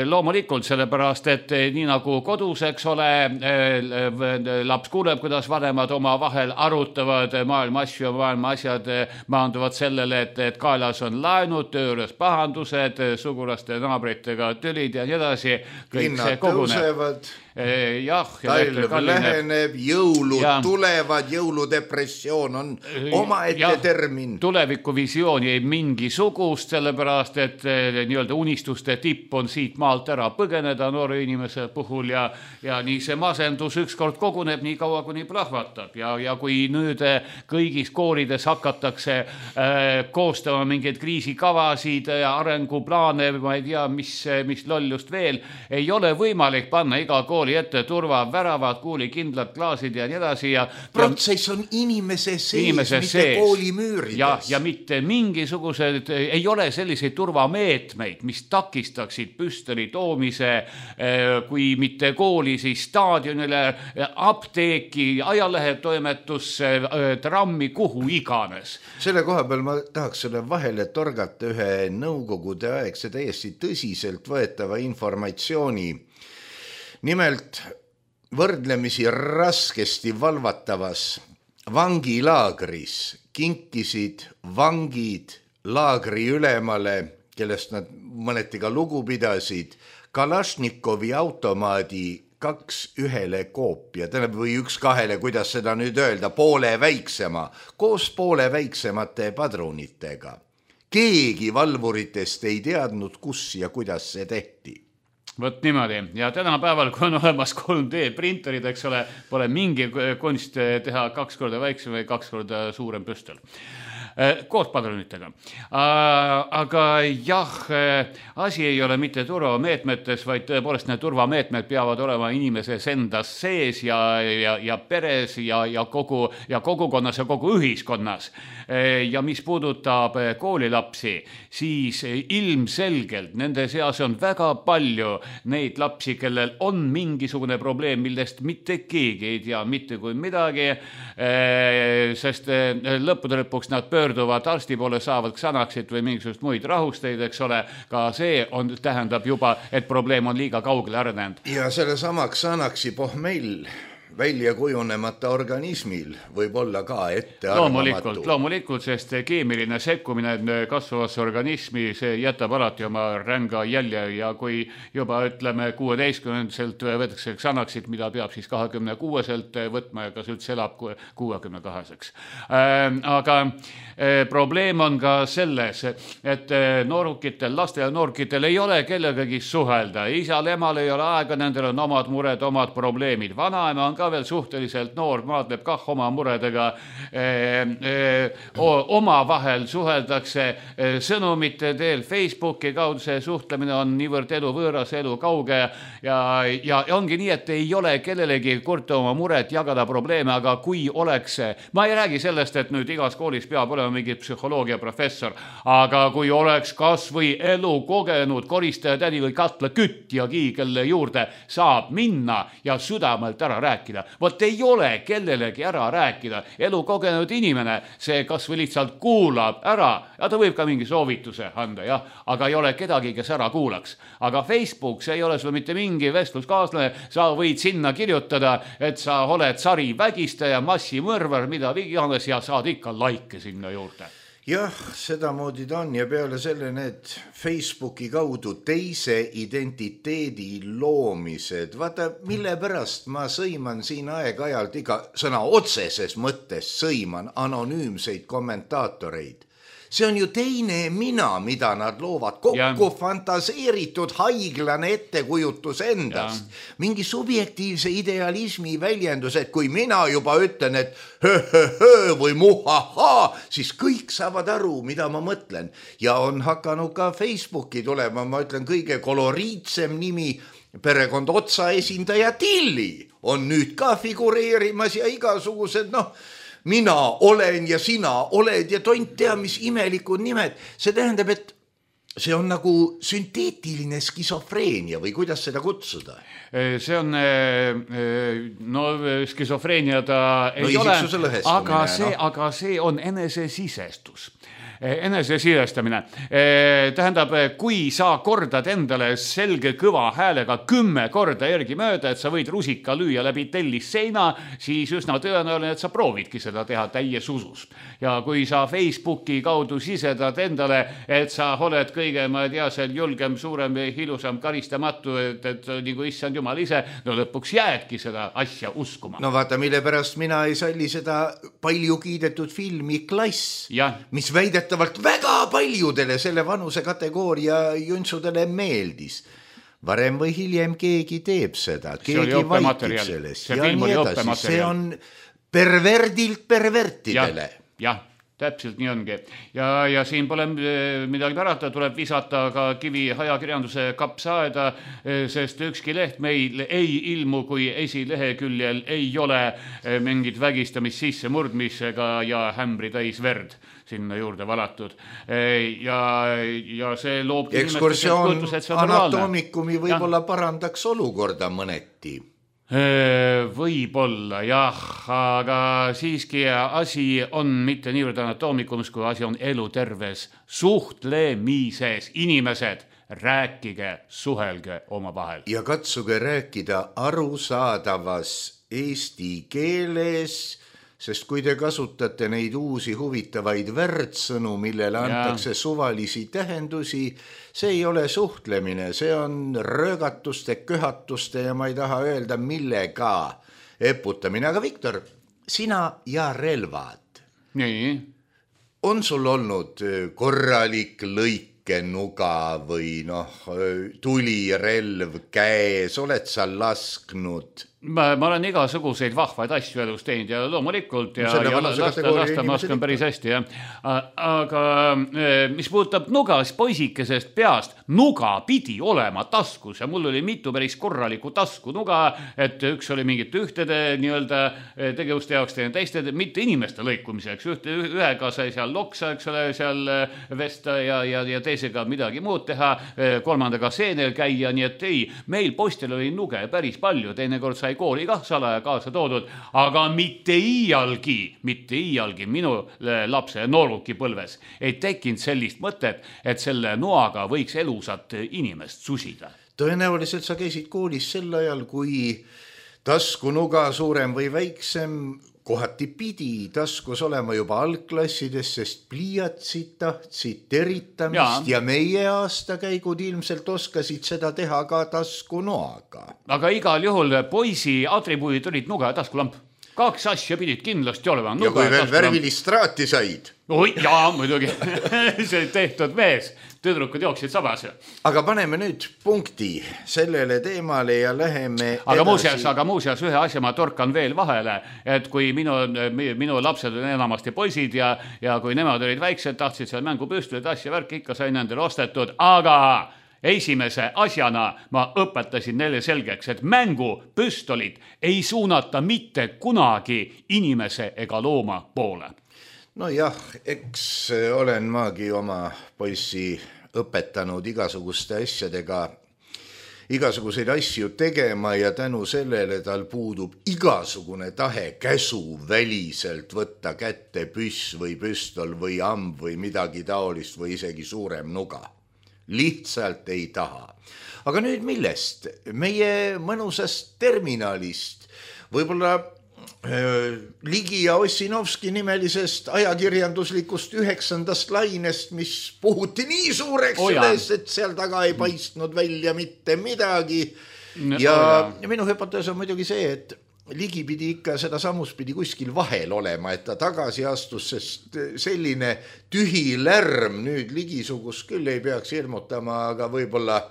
Loomulikult sellepärast, et nii nagu kodus, eks ole, laps kuuleb, kuidas vanemad oma vahel arutavad maailma asju ja maailma asjad maanduvad sellele, et, et kaelas on laenud, tööres pahandused, sugulaste naabritega tülid ja nii edasi. Hinnad tõusevad. Jah, talv läheneb, jõulud ja. tulevad, jõuludepressioon on omaette ja. termin. Tulevikuvisiooni ei mingisugust, sellepärast, et nii-öelda unistuste tipp on siit maalt ära põgeneda noore inimese puhul ja, ja nii see masendus ükskord koguneb nii kaua, kuni plahvatab ja, ja kui nüüd kõigis koolides hakatakse äh, koostama mingeid kriisikavasid ja arenguplaane, ma ei tea, mis, mis lollust veel, ei ole võimalik panna iga kooli ette turva, väravad, kuulikindlad klaasid ja nii edasi. Ja, protsess on inimese sees, inimese mitte sees. Koolimüürides. Ja, ja mitte mingisugused, ei ole selliseid turvameetmeid, mis takistaksid püstoli toomise, kui mitte kooli, siis staadionile, apteeki, ajalehetoimetusse, trammi, kuhu iganes. Selle koha peal ma tahaks selle vahele torgata ühe nõukogude aegse täiesti tõsiselt võetava informatsiooni. Nimelt võrdlemisi raskesti valvatavas vangilaagris kinkisid vangid laagri ülemale, kellest nad mõneti ka lugu pidasid, Kalašnikovi automaadi kaks ühele koopia, või üks kahele, kuidas seda nüüd öelda, poole väiksema, koos poole väiksemate padrunitega. Keegi valvuritest ei teadnud, kus ja kuidas see tehti. Võt niimoodi. Ja tänapäeval, kui on olemas kolm D printerid, eks ole, pole mingi kunst teha kaks korda väiksem või kaks korda suurem püstol. Koos padrunitega. Aga jah, asi ei ole mitte turvameetmetes, vaid tõepoolest need turvameetmed peavad olema inimeses endas sees ja, ja, ja peres ja, ja, kogu, ja kogukonnas ja kogu ühiskonnas. Ja mis puudutab koolilapsi, siis ilmselgelt nende seas on väga palju neid lapsi, kellel on mingisugune probleem, millest mitte keegi ei tea mitte kui midagi, sest lõppude lõpuks nad pöörduvad arsti poole, saavad Xanaxit või mingisugust muid rahusteid, eks ole, ka see on, tähendab juba, et probleem on liiga kaugele arenenud. Ja selle sama Xanaxi pohmell välja kujunemata organismil võib olla ka ette arvamatu. Loomulikult, loomulikult, sest keemiline sekkumine kasvavasse organismi, see jätab alati oma ränga jälje ja kui juba ütleme kuueteistkümnendaselt võetakse Xanaxit, mida peab siis kahekümne kuueselt võtma ja kas üldse elab kuuekümne kaheseks. Aga probleem on ka selles, et noorukitel, laste ja noorkitel ei ole kellegagi suhelda. Isal, emal ei ole aega, nendel on omad mured, omad probleemid. Vanaema on ka ka veel suhteliselt noor, maadleb kah oma muredega, oma vahel suheldakse sõnumite teel Facebooki kaudu, see suhtlemine on niivõrd elu võõras, elu kauge ja, ja ongi nii, et ei ole kellelegi kurta oma muret, jagada probleeme, aga kui oleks, ma ei räägi sellest, et nüüd igas koolis peab olema mingi psühholoogia professor, aga kui oleks kas või elu kogenud koristaja tädi või katla kütjagi, kelle juurde saab minna ja südamelt ära rääkida. Vot ei ole kellelegi ära rääkida. Elu kogenud inimene, see kas või lihtsalt kuulab ära ja ta võib ka mingi soovituse anda, jah, aga ei ole kedagi, kes ära kuulaks. Aga Facebook, see ei ole sul mitte mingi vestluskaaslane, sa võid sinna kirjutada, et sa oled sari vägistaja, massimõrvar, mida iganes ja saad ikka laike sinna juurde. Jah, sedamoodi ta on ja peale selle need Facebooki kaudu teise identiteedi loomised. Vaata, mille pärast ma sõiman siin aeg-ajalt iga sõna otseses mõttes sõiman anonüümseid kommentaatoreid. See on ju teine mina, mida nad loovad. Kokku ja. fantaseeritud haiglane ettekujutus endast. Ja. Mingi subjektiivse idealismi väljendus, et kui mina juba ütlen, et hö-hö-hö või muhaha, siis kõik saavad aru, mida ma mõtlen. Ja on hakanud ka Facebooki tulema, ma ütlen, kõige koloriitsem nimi, perekond otsa esindaja Tilli on nüüd ka figureerimas ja igasugused, noh, mina olen ja sina oled ja tont tea, mis imelikud nimed. See tähendab, et see on nagu sünteetiline skisofreenia või kuidas seda kutsuda? See on, no skisofreenia ta ei no, ole, aga see, no. aga see on enesesisestus. enesesisestamine. Tähendab, kui sa kordad endale selge kõva häälega kümme korda järgi mööda, et sa võid rusika lüüa läbi tellis seina, siis üsna tõenäoline, et sa proovidki seda teha täies usus. Ja kui sa Facebooki kaudu sisedad endale, et sa oled kõige, ma ei tea, seal julgem, suurem, ilusam, karistamatu, et, et nagu issand jumal ise, no lõpuks jäädki seda asja uskuma. No vaata, mille pärast mina ei salli seda palju kiidetud filmi Klass, ja. mis väidet väga paljudele selle vanuse kategooria juntsudele meeldis. Varem või hiljem keegi teeb seda, keegi vaikib sellest. See film oli õppematerjal. See on perverdilt pervertidele. Jah, jah. Täpselt nii ongi. Ja, ja siin pole midagi pärata, tuleb visata ka kivi ajakirjanduse kapsaaeda, sest ükski leht meil ei ilmu, kui esileheküljel ei ole mingit vägistamist sisse murdmisega ja hämbri täis verd sinna juurde valatud. Ja, ja see loob... Ekskursioon anatoomikumi võib-olla parandaks olukorda mõneti. Võib-olla, jah, aga siiski asi on mitte niivõrd anatoomikumis, kui asi on eluterves suhtlemises. Inimesed, rääkige, suhelge oma vahel. Ja katsuge rääkida arusaadavas eesti keeles, sest kui te kasutate neid uusi huvitavaid värdsõnu, millele antakse ja. suvalisi tähendusi, see ei ole suhtlemine, see on röögatuste, köhatuste ja ma ei taha öelda millega eputamine. Aga Viktor, sina ja relvad. Nii. On sul olnud korralik lõikenuga või noh, tulirelv käes, oled sa lasknud? Ma, ma olen igasuguseid vahvaid asju elus teinud ja loomulikult ja, ja lasta, lasta ma oskan päris hästi. Ja. Aga mis puudutab nuga, siis poisikesest peast nuga pidi olema taskus ja mul oli mitu päris korralikku tasku nuga, et üks oli mingit ühtede nii-öelda tegevuste jaoks teine teiste, mitte inimeste lõikumiseks. Ühte, ühega sai seal loksa, eks ole, seal vesta ja, ja, ja teisega midagi muud teha, kolmandaga seenel käia, nii et ei, meil postil oli nuge päris palju, teinekord sai kooli kah salaja kaasa toodud, aga mitte iialgi, mitte iialgi minu lapse nooruki põlves ei tekkinud sellist mõtet, et selle noaga võiks elusat inimest susida. Tõenäoliselt sa käisid koolis sel ajal, kui taskunuga suurem või väiksem kohati pidi taskus olema juba algklassides, sest pliiatsid tahtsid teritamist ja. ja meie aastakäigud ilmselt oskasid seda teha ka taskunoaga. Aga igal juhul poisi atribuudid olid nuga ja taskulamp. kaks asja pidid kindlasti olema. Ja kui veel värvilist straati said. Oi, jaa, muidugi. See tehtud mees. Tüdrukud jooksid sabas. Aga paneme nüüd punkti sellele teemale ja läheme aga edasi. Muuseas, aga muuseas ühe asja ma torkan veel vahele, et kui minu, minu lapsed on enamasti poisid ja, ja kui nemad olid väiksed, tahtsid seal mängupüstolid, asja värk, ikka sain nendele ostetud, aga esimese asjana ma õpetasin neile selgeks, et mängupüstolid ei suunata mitte kunagi inimese ega looma poole. No jah, eks olen maagi oma poissi õpetanud igasuguste asjadega, igasuguseid asju tegema ja tänu sellele tal puudub igasugune tahe käsu väliselt võtta kätte püss või püstol või amb või midagi taolist või isegi suurem nuga. Lihtsalt ei taha. Aga nüüd millest? Meie mõnusast terminalist, võib-olla Ligi ja Ossinovski nimelisest ajakirjanduslikust üheksandast lainest, mis puhuti nii suureks oh, üles, et seal taga ei paistnud välja mitte midagi. Ja oh, minu hüpotees on muidugi see, et Ligi pidi ikka seda samus pidi kuskil vahel olema, et ta tagasi astus, sest selline tühi lärm nüüd Ligisugus küll ei peaks hirmutama, aga võib-olla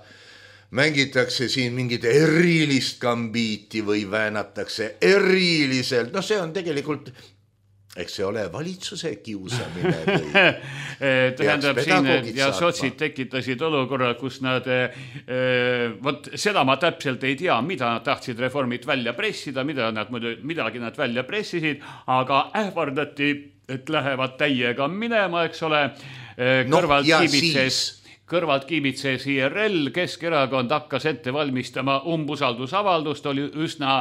mängitakse siin mingit erilist gambiiti või väänatakse eriliselt. No see on tegelikult, eks see ole valitsuse kiusamine või tähendab siin, ja sotsid tekitasid olukorra, kus nad, äh, võt, seda ma täpselt ei tea, mida nad tahtsid reformid välja pressida, mida nad, midagi nad välja pressisid, aga ähvardati, et lähevad täiega minema, eks ole, kõrvalt no, kiibitses kõrvalt kiibitses I R L, Keskerakond hakkas ette valmistama umbusaldusavaldust, oli üsna,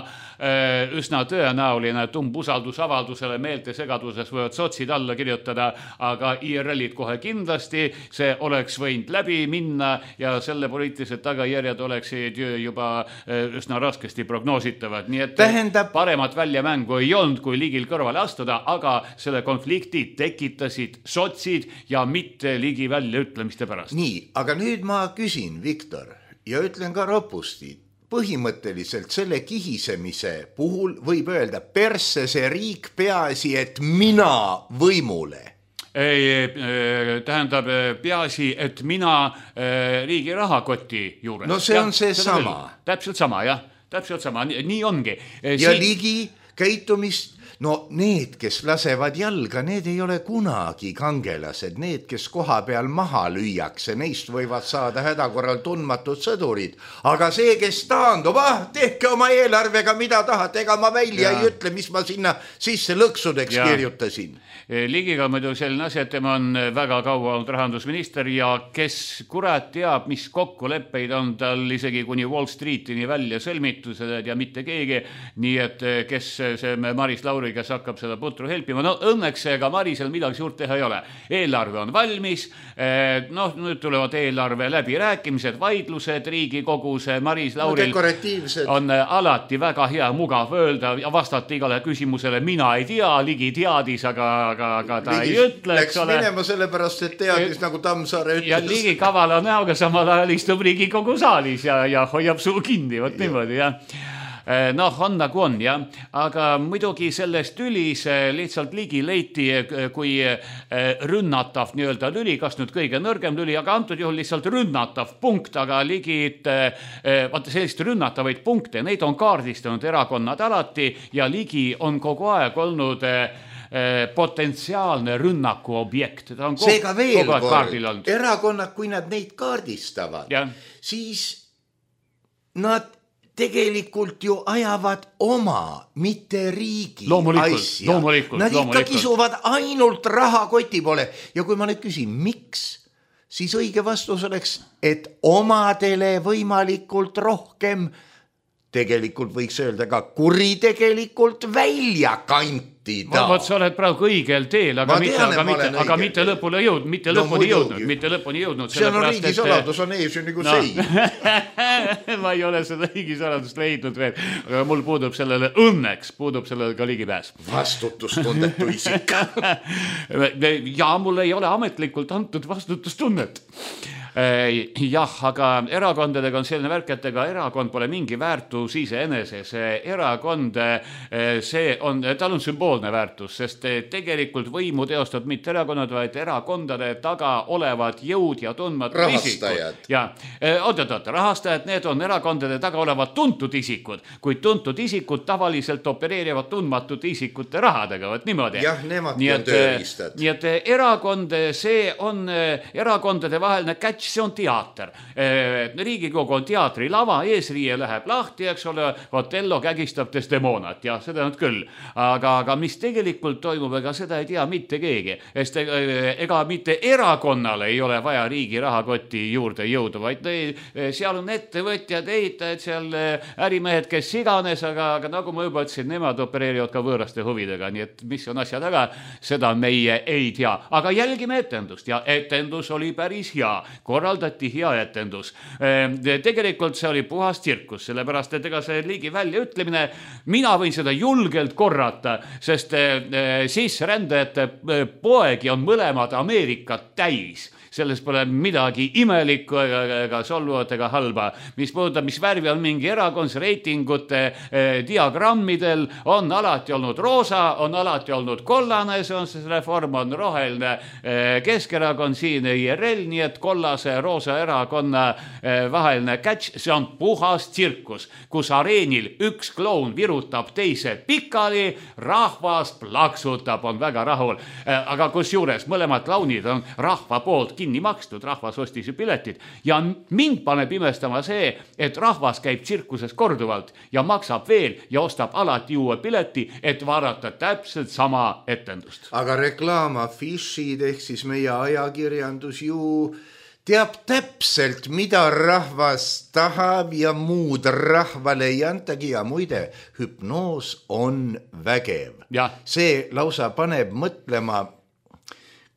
üsna tõenäoline, et umbusaldusavaldusele meeltesegaduses võivad sotsid alla kirjutada, aga I R L-id kohe kindlasti, see oleks võinud läbi minna ja selle poliitilised tagajärjed oleksid juba üsna raskesti prognoositavad. Nii et Tähendab... paremat väljamängu ei olnud, kui Ligil kõrvale astuda, aga selle konflikti tekitasid sotsid ja mitte Ligi väljaütlemiste pärast. Nii, aga nüüd ma küsin, Viktor, ja ütlen ka ropusti, põhimõtteliselt selle kihisemise puhul võib öelda persse see riik peaasi, et mina võimule. Ei, tähendab peaasi, et mina riigi rahakoti juures. No see on see sama. Täpselt sama, jah. Täpselt sama, nii ongi. Ja si- Ligi käitumist, no need, kes lasevad jalga, need ei ole kunagi kangelased. Need, kes koha peal maha lüüakse, neist võivad saada hädakorral tundmatud sõdurid. Aga see, kes taandub, ah, tehke oma eelarvega mida tahate, ega ma välja ja. ei ütle, mis ma sinna sisse lõksudeks ja. kirjutasin. Ligiga muidu selline asi, et tema on väga kaua olnud rahandusminister ja kes kurat teab, mis kokkuleppeid on tal isegi kuni Wall Streetini välja sõlmitused ja mitte keegi. Nii et kes see Maris Lauri, kes hakkab seda putru helpima, no õnneks ega Marisel midagi suurt teha ei ole. Eelarve on valmis, noh, nüüd tulevad eelarve läbirääkimised, vaidlused Riigikogus, Maris Lauril no, on alati väga hea mugav öelda ja vastata igale küsimusele, mina ei tea, Ligi teadis, aga aga, aga ta Ligi ei ütle, eks ole. Läks minema sellepärast, et teadis et, nagu Tammsaare ütles. Ja Ligi kavala näoga samal ajal istub Riigikogu saalis ja, ja hoiab suu kinni, võt niimoodi, jah. Noh, on nagu on, jah. Aga muidugi selles tülis lihtsalt Ligi leiti kui rünnatav nii-öelda lüli, kas nüüd kõige nõrgem lüli, aga antud juhul lihtsalt rünnatav punkt, aga Ligid, vaata sellist rünnatavaid punkte, neid on kaardistanud erakonnad alati ja Ligi on kogu aeg olnud potentsiaalne rünnaku objekt. Ta on kogu, Seega veel kord, erakonnad, kui nad neid kaardistavad, ja. siis nad tegelikult ju ajavad oma, mitte riigi loomulikult, asja. Loomulikult, nad loomulikult. ikka kisuvad ainult rahakoti poole. Ja kui ma nüüd küsin, miks, siis õige vastus oleks, et omadele võimalikult rohkem, tegelikult võiks öelda ka kuritegelikult välja kantida. Vaat sa oled praegu õigel teel, aga, mitte, tean, aga, mitte, aga mitte lõpule jõudnud, mitte no, lõpuni jõudnud, mitte lõpuni jõudnud. See on riigi saladus, on ees ju nagu no. sei. Ma ei ole seda riigi saladust leidnud veel, aga mul puudub sellele, õnneks puudub sellele ka ligipääs. Vastutustundetu isik. Ja mul ei ole ametlikult antud vastutustunnet. jah, aga erakondadega on selline värk, et ega erakond pole mingi väärtus iseenese. See erakond, see on, tal on sümboolne väärtus, sest tegelikult võimu teostab mitte erakonnad, vaid erakondade taga olevad jõud ja tundmatud rahastajad. isikud. Ja, oot, oot, oot, rahastajad, need on erakondade taga olevad tuntud isikud, kuid tuntud isikud tavaliselt opereerivad tundmatute isikute rahadega, võt niimoodi. Jah, nemadki on tööriistad. Nii et erakond, see on erakondade vaheline catch, see on teater. Riigikogu on teatrilava, eesriie läheb lahti, eks ole, Otello kägistab Desdemonat, jah, seda on küll. Aga, aga mis tegelikult toimub, ega seda ei tea mitte keegi. Sest ega mitte erakonnale ei ole vaja riigi rahakoti juurde jõuda, vaid seal on ettevõtjad, ehitajad, seal ärimehed, kes iganes, aga, aga nagu ma juba ütlesin, nemad opereerivad ka võõraste huvidega, nii et mis on asja taga, seda meie ei tea. Aga jälgime etendust ja etendus oli päris hea, korraldati hea etendus. Tegelikult see oli puhas tsirkus, sellepärast, et ega see liigi väljaütlemine, mina võin seda julgelt korrata, sest sisserändajate poegi on mõlemad Ameerikat täis. Selles pole midagi imelikku ega, ega solvuvat ega halba. Mis puudutab, mis värvi on mingi erakond, reitingute eh, diagrammidel on alati olnud roosa, on alati olnud kollane, see on see reform, on roheline eh, Keskerakond, siin I R L, nii et kollase roosa erakonna eh, vaheline catch, see on puhas tsirkus, kus areenil üks kloun virutab teise pikali, rahvas plaksutab, on väga rahul. Eh, aga kus juures mõlemad klaunid on rahva poolt kinni makstud, rahvas ostis ju piletid ja mind paneb imestama see, et rahvas käib tsirkuses korduvalt ja maksab veel ja ostab alati uue pileti, et vaadata täpselt sama etendust. Aga reklaamafišid ehk siis meie ajakirjandus ju teab täpselt, mida rahvas tahab ja muud rahvale ei antagi ja muide, hüpnoos on vägev. Ja. See lausa paneb mõtlema,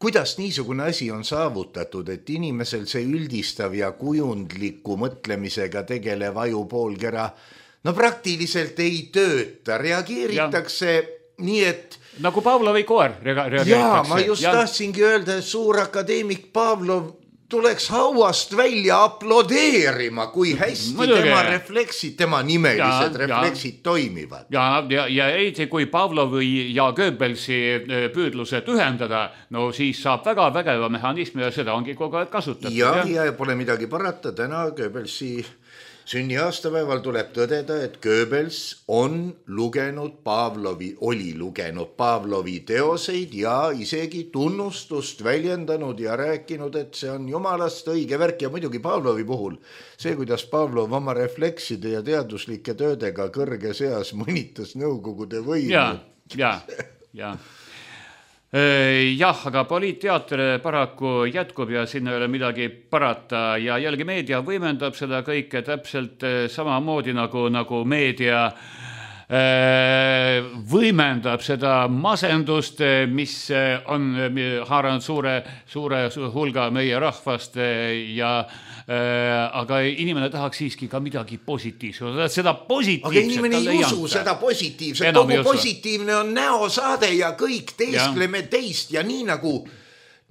kuidas niisugune asi on saavutatud, et inimesel see üldistav ja kujundliku mõtlemisega tegelev ajupoolkera no praktiliselt ei tööta, reageeritakse ja. Nii, et nagu Pavlovi koer reageeritakse. Jaa, ma just ja. tahtsingi öelda, et suur akadeemik Pavlov tuleks hauast välja aplodeerima, kui hästi Mõdugi. tema refleksid, tema nimelised ja, refleksid ja. toimivad. Ja, ja, ja eriti kui Pavlovi ja Goebbelsi püüdlused ühendada, no siis saab väga vägeva mehhanismi ja seda ongi kogu aeg kasutatud. Ja, ja, ja pole midagi parata, täna Goebbelsi sünniaastapäeval tuleb tõdeda, et Goebbels on lugenud Pavlovi, oli lugenud Pavlovi teoseid ja isegi tunnustust väljendanud ja rääkinud, et see on jumalast õige värk ja muidugi Pavlovi puhul. See, kuidas Pavlov oma reflekside ja teaduslike töödega kõrge seas mõnitas nõukogude võimu. Ja, ja, ja. Jah, aga poliitteater paraku jätkub ja sinna ei ole midagi parata ja jällegi meedia võimendab seda kõike täpselt samamoodi nagu, nagu meedia võimendab seda masendust, mis on haaranud suure, suure hulga meie rahvast ja aga inimene tahaks siiski ka midagi positiivset. Seda positiivset aga inimene ei usu janta. Seda positiivset. Kogu positiivne on näosaade ja kõik teiskleme ja. teist ja nii nagu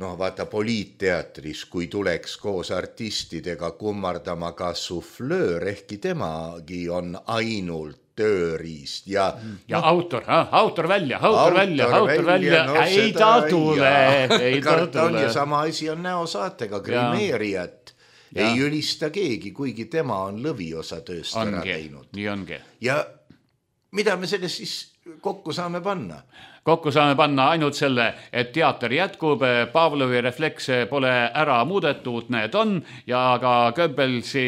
no vaata poliitteatris, kui tuleks koos artistidega kummardama ka suflöör, ehkki temagi on ainult tööriist ja ja no, autor, autor välja, autor, autor välja, autor välja, välja. No, ei ta tule, ei ta tule. Ja sama asi on näosaatega, grimeerijat ja. Ei ülista keegi, kuigi tema on lõviosa tööst ongi, ära teinud. Nii ongi. Ja mida me sellest siis kokku saame panna? Kokku saame panna ainult selle, et teater jätkub, Pavlovi reflekse pole ära muudetud, need on, ja ka Goebbelsi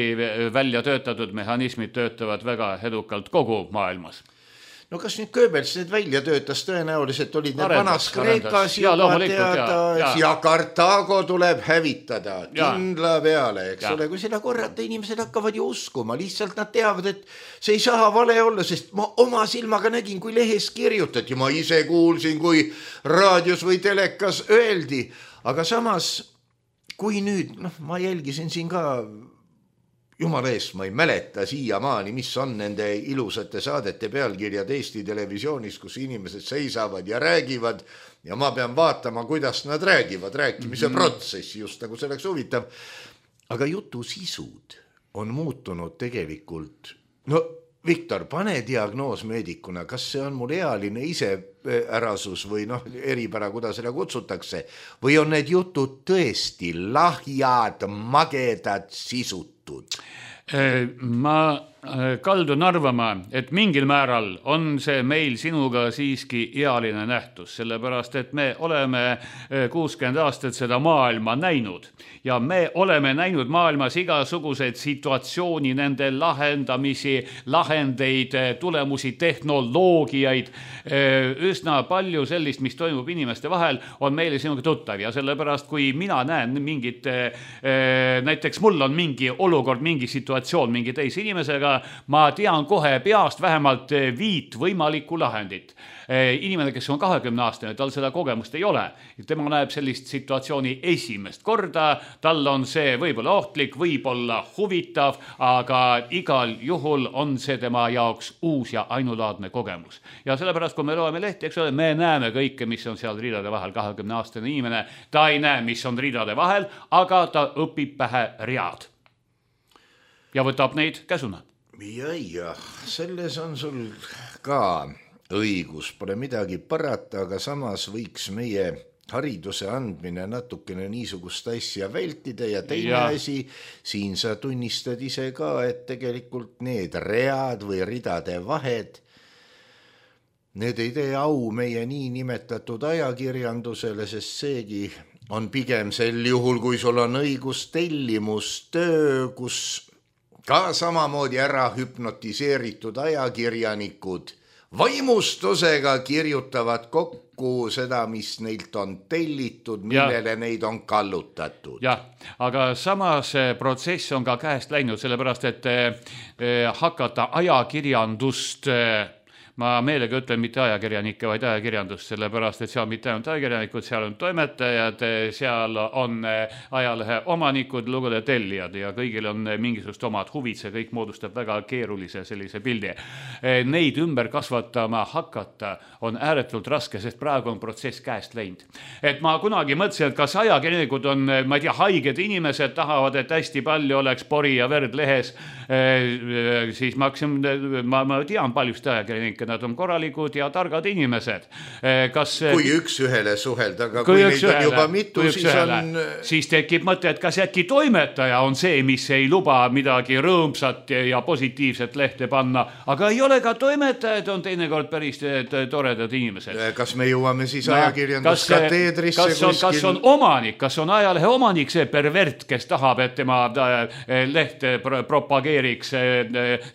välja töötatud mehhanismid töötavad väga edukalt kogu maailmas. No kas nüüd Goebbels need välja töötas, tõenäoliselt olid need vanas Kreekas ja, teada, ja. ja Kartaago tuleb hävitada kindla peale, eks ja. ole, kui seda korrata, inimesed hakkavad ju uskuma, lihtsalt nad teavad, et see ei saa vale olla, sest ma oma silmaga nägin, kui lehes kirjutati, ma ise kuulsin, kui raadios või telekas öeldi, aga samas, kui nüüd, noh, ma jälgisin siin ka jumala eest, ma ei mäleta siiamaani, mis on nende ilusate saadete pealkirjad Eesti televisioonis, kus inimesed seisavad ja räägivad ja ma pean vaatama, kuidas nad räägivad, rääkimise mm-hmm. protsessi, just nagu see oleks huvitav. aga jutu sisud on muutunud tegelikult. No Viktor, pane diagnoos meedikuna, kas see on mul ealine iseärasus või noh, eripära, kuidas seda kutsutakse, või on need jutud tõesti lahjad, magedad, sisutud? Ma kaldun arvama, et mingil määral on see meil sinuga siiski ealine nähtus, sellepärast, et me oleme kuuskümmend aastat seda maailma näinud ja me oleme näinud maailmas igasuguseid situatsiooni, nende lahendamisi, lahendeid, tulemusi, tehnoloogiaid, üsna palju sellist, mis toimub inimeste vahel, on meile sinuga tuttav ja sellepärast, kui mina näen mingit, näiteks mul on mingi olukord, mingi situatsioon mingi teise inimesega, ma tean kohe peast vähemalt viit võimalikku lahendit. Inimene, kes on kahekümne aastane, tal seda kogemust ei ole. Tema näeb sellist situatsiooni esimest korda, tal on see võib-olla ohtlik, võib-olla huvitav, aga igal juhul on see tema jaoks uus ja ainulaadne kogemus. Ja sellepärast, kui me loeme lehti, eks ole, me näeme kõike, mis on seal ridade vahel. kahekümne aastane inimene, ta ei näe, mis on ridade vahel, aga ta õpib pähe read. Ja võtab neid käsuna. Ja, ja, selles on sul ka õigus, pole midagi parata, aga samas võiks meie hariduse andmine natukene niisugust asja vältida ja teine ja. asi, siin sa tunnistad ise ka, et tegelikult need read või ridade vahed, need ei tee au meie nii nimetatud ajakirjandusele, sest seegi on pigem sel juhul, kui sul on õigus tellimustöö, kus ka samamoodi ära hüpnotiseeritud ajakirjanikud vaimustusega kirjutavad kokku seda, mis neilt on tellitud, millele ja. neid on kallutatud. Jah, aga samas protsess on ka käest läinud, sellepärast, et hakata ajakirjandust, ma meelega ütlen mitte ajakirjanikke, vaid ajakirjandust, sellepärast, et seal mitte ainult ajakirjanikud, seal on toimetajad, seal on ajalehe omanikud, lugude tellijad ja kõigil on mingisugust omad huvid, see kõik moodustab väga keerulise sellise pildi. Neid ümber kasvatama hakata on ääretult raske, sest praegu on protsess käest läinud. Et ma kunagi mõtlesin, et kas ajakirjanikud on, ma ei tea, haiged inimesed, tahavad, et hästi palju oleks pori ja verd lehes, siis ma, hakkasin, ma, ma tean paljust ajakirjanikke, nad on korralikud ja targad inimesed. Kas, kui üks ühele suhelda, aga kui, kui neid ühele, on juba mitu, siis ühele, on... Siis tekib mõte, et kas äkki toimetaja on see, mis ei luba midagi rõõmsat ja positiivset lehte panna, aga ei ole ka toimetajad, on teinekord päris toredad inimesed. Kas me jõuame siis no, ajakirjanduskateedrisse kas, kas, kas on omanik, kas on ajalehe omanik see pervert, kes tahab, et tema lehte propageeriks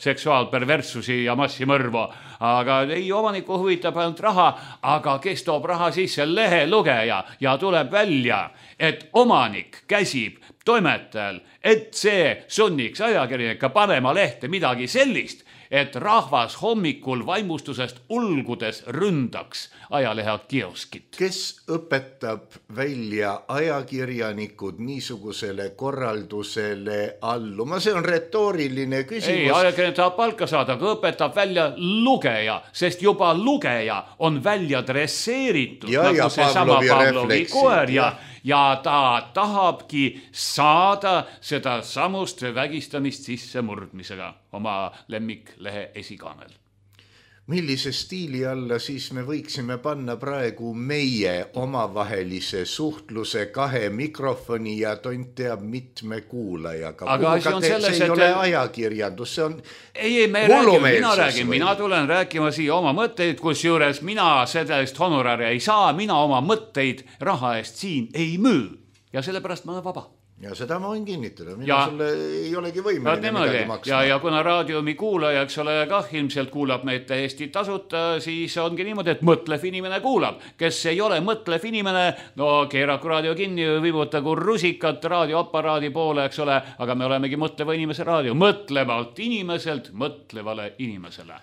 seksuaalperverssusi ja massimõrvu. Aga ei, omaniku huvitab ainult raha, aga kes toob raha sisse lehe lugeja ja tuleb välja, et omanik käsib toimetajal, et see sunniks ajakirjanika panema lehte midagi sellist, et rahvas hommikul vaimustusest ulgudes ründaks ajalehe kioskit. Kes õpetab välja ajakirjanikud niisugusele korraldusele alluma? See on retooriline küsimus. Ei, ajakirjanik tahab palka saada, aga õpetab välja lugeja, sest juba lugeja on välja dresseeritud, ja, nagu ja see sama Pavlovi koer ja, ja ta tahabki saada seda samust vägistamist sisse murdmisega oma lemmiklehe esikaanel. Millise stiili alla siis me võiksime panna praegu meie omavahelise suhtluse kahe mikrofoni ja tont teab mitme kuulajaga? Aga asi on selles, see ei et... ole ajakirjandus, see on ei, ei, me räägime, mina räägin, või? mina tulen rääkima siia oma mõtteid, kus juures mina sellest honorari ei saa, mina oma mõtteid raha eest siin ei müü ja sellepärast ma olen vaba. Ja seda ma võin kinnitada, mina ja, sulle ei olegi võimeline midagi maksma. Ja, ja kuna raadiomi kuulaja, eks ole, kah ilmselt kuulab meid täiesti tasuta, siis ongi niimoodi, et mõtlev inimene kuulab. Kes ei ole mõtlev inimene, no keeraku raadio kinni, viibutagu rusikat raadioaparaadi poole, eks ole, aga me olemegi mõtleva inimese raadio. Mõtlevalt inimeselt mõtlevale inimesele.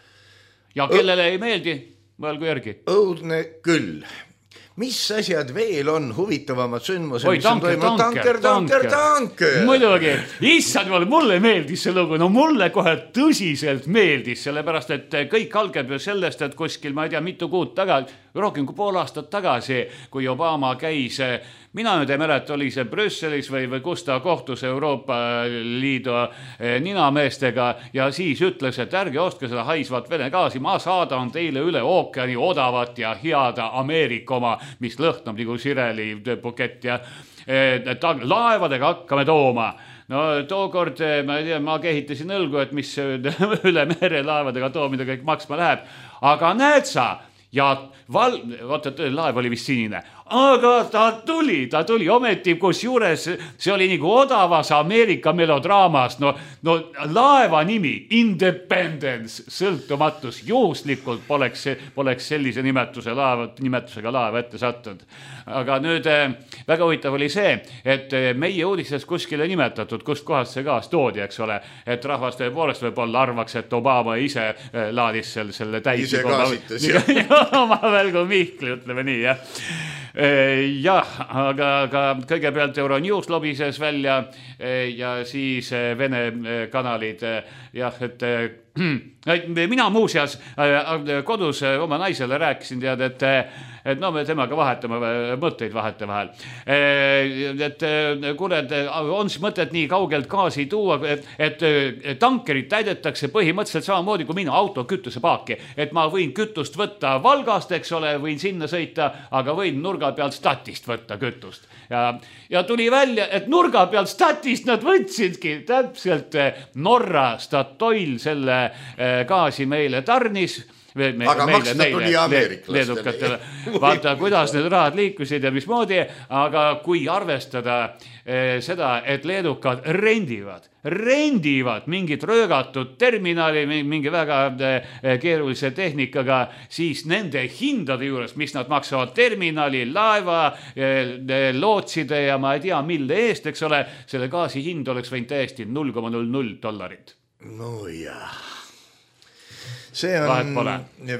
Ja kellele ei meeldi, mõelgu järgi. Õudne küll. Mis asjad veel on huvitavamad sündmused? Oi, tanker, tanker, tanker, tanker. Muidugi, issand, mulle meeldis see lugu, no mulle kohe tõsiselt meeldis, sellepärast, et kõik algab ju sellest, et kuskil, ma ei tea, mitu kuud tagasi, rohkem kui pool aastat tagasi, kui Obama käis, mina nüüd ei mäleta, oli see Brüsselis või, või kus ta kohtus Euroopa Liidu ninameestega ja siis ütles, et ärge ostke seda haisvat Vene gaasi, ma saadan teile üle ookeani odavat ja head Ameerika oma, mis lõhnab nagu sireli bukett ja ta, laevadega hakkame tooma. No tookord, ma ei tea, ma kehitasin õlgu, et mis üle mere laevadega toomida kõik maksma läheb, aga näed sa, ja val... vaata, laev oli vist sinine, aga ta tuli, ta tuli ometi, kus juures see oli nagu odavas Ameerika melodraamas, no, no laeva nimi, Independence, sõltumatus, juhuslikult poleks, poleks sellise nimetuse laeva, nimetusega laeva ette sattunud. Aga nüüd väga huvitav oli see, et meie uudistes kuskile nimetatud, kust kohast see gaas toodi, eks ole, et rahvas tõepoolest võib-olla arvaks, et Obama ise laadis selle, selle täis. Ise gaasitas, jah. Oma välgu Mihkli, ütleme nii, jah. Jah, aga, aga kõigepealt Euronews lobises välja ja siis Vene kanalid, jah, et mina muuseas kodus oma naisele rääkisin, tead, et et no me temaga vahetame mõtteid vahete vahel. Et kuule, et on siis mõtet nii kaugelt gaasi tuua, et, et tankerid täidetakse põhimõtteliselt samamoodi kui minu auto kütusepaaki. Et ma võin kütust võtta Valgast, eks ole, võin sinna sõita, aga võin nurga pealt statist võtta kütust. Ja, ja tuli välja, et nurga pealt statist nad võtsidki täpselt Norra Statoil selle gaasi meile tarnis. Me, aga meile, maksta meile, tuli ameeriklastele. Vaata, kuidas need rahad liikusid ja mismoodi, aga kui arvestada eh, seda, et leedukad rendivad, rendivad mingit röögatud terminali, mingi väga eh, keerulise tehnikaga, siis nende hindade juures, mis nad maksavad terminali, laeva, eh, lootside ja ma ei tea, mille eest, eks ole, selle gaasi hind oleks võinud täiesti null koma null null dollarit. No jah. See on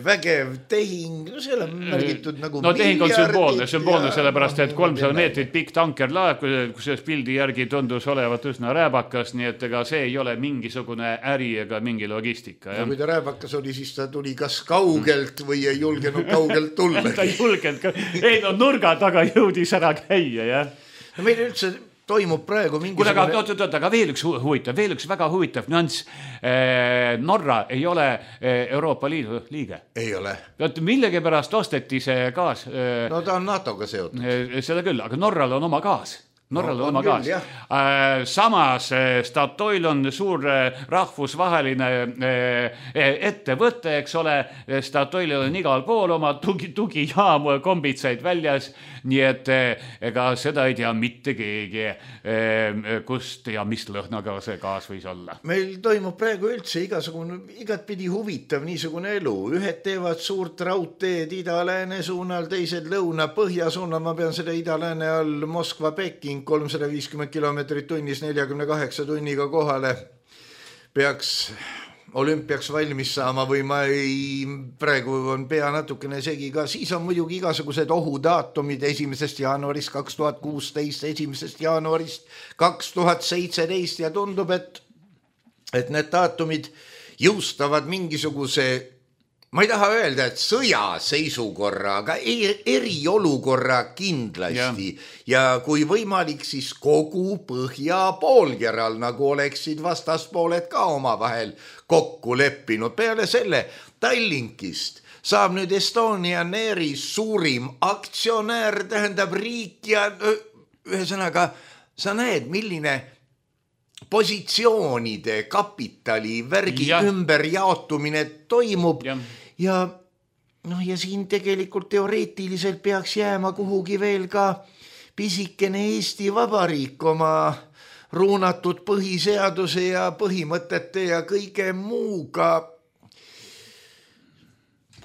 vägev tehing, no seal on märgitud nagu no tehing on sümboolne, sümboolne ja... sellepärast, et kolmsada meetrit pikk tankerlaev, kus pildi järgi tundus olevat üsna rääbakas, nii et ega see ei ole mingisugune äri ega mingi logistika. Ja kui ta rääbakas oli, siis ta tuli kas kaugelt või ei julgenud kaugelt tulla. ta ei julgenud, ei no nurga taga jõudis ära käia, jah. No meil üldse toimub praegu mingisugune... Aga, oot, oot, aga veel üks huvitav, veel üks väga huvitav nüanss. Norra ei ole Euroopa Liidu liige. Ei ole. Millegi pärast osteti see gaas. No ta on NATOga seotud. Seda küll, aga Norral on oma gaas. Norral no, on oma küll, gaas. Samas Statoil on suur rahvusvaheline ettevõte, eks ole. Statoilil on igal pool oma tugi, tugijaam, kombitsaid väljas. Nii et ega seda ei tea mitte keegi, kust ja mis lõhnaga see gaas võis olla. Meil toimub praegu üldse igasugune, igatpidi huvitav niisugune elu. Ühed teevad suurt raudteed ida-lääne suunal, teised lõuna-põhja suunal. Ma pean seda ida-lääne all Moskva-Peking kolmsada viiskümmend kilomeetrit tunnis neljakümne kaheksa tunniga kohale. Peaks olümpiaks valmis saama või ma ei, praegu on pea natukene segi ka, siis on muidugi igasugused ohudaatumid esimesest jaanuarist kaks tuhat kuusteist, esimesest jaanuarist kaks tuhat seitseteist ja tundub, et, et need daatumid jõustavad mingisuguse, ma ei taha öelda, et sõjaseisukorra, aga eriolukorra kindlasti ja. ja kui võimalik, siis kogu põhja poolkeral, nagu oleksid vastaspooled ka omavahel kokku leppinud. Peale selle Tallinkist saab nüüd Estonian Airi suurim aktsionär, tähendab riik ja ühesõnaga sa näed, milline positsioonide, kapitali, värgi ja. ümberjaotumine toimub ja, ja, no, ja siin tegelikult teoreetiliselt peaks jääma kuhugi veel ka pisikene Eesti Vabariik oma ruunatud põhiseaduse ja põhimõtete ja kõige muuga.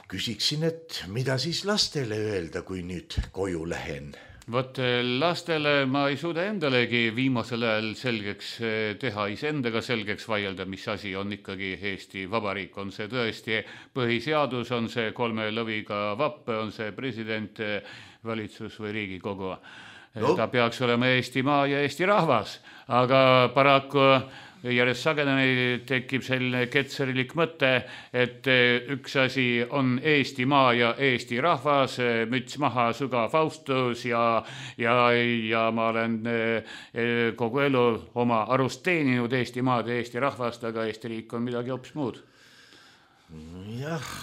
Küsiksin, et mida siis lastele öelda, kui nüüd koju lähen? Vot lastele ma ei suuda endalegi viimasel ajal selgeks teha, iseendaga selgeks vaielda, mis asi on ikkagi Eesti Vabariik. On see tõesti põhiseadus, on see kolme lõviga vapp, on see president, valitsus või Riigikogu. No. Ta peaks olema Eestimaa ja Eesti rahvas, aga paraku järjest sagedamini tekib selline ketserilik mõte, et üks asi on Eestimaa ja Eesti rahvas, müts maha, sügav austus ja, ja, ja ma olen kogu elu oma arust teeninud Eestimaad ja Eesti rahvast, aga Eesti riik on midagi hoopis muud. Jah,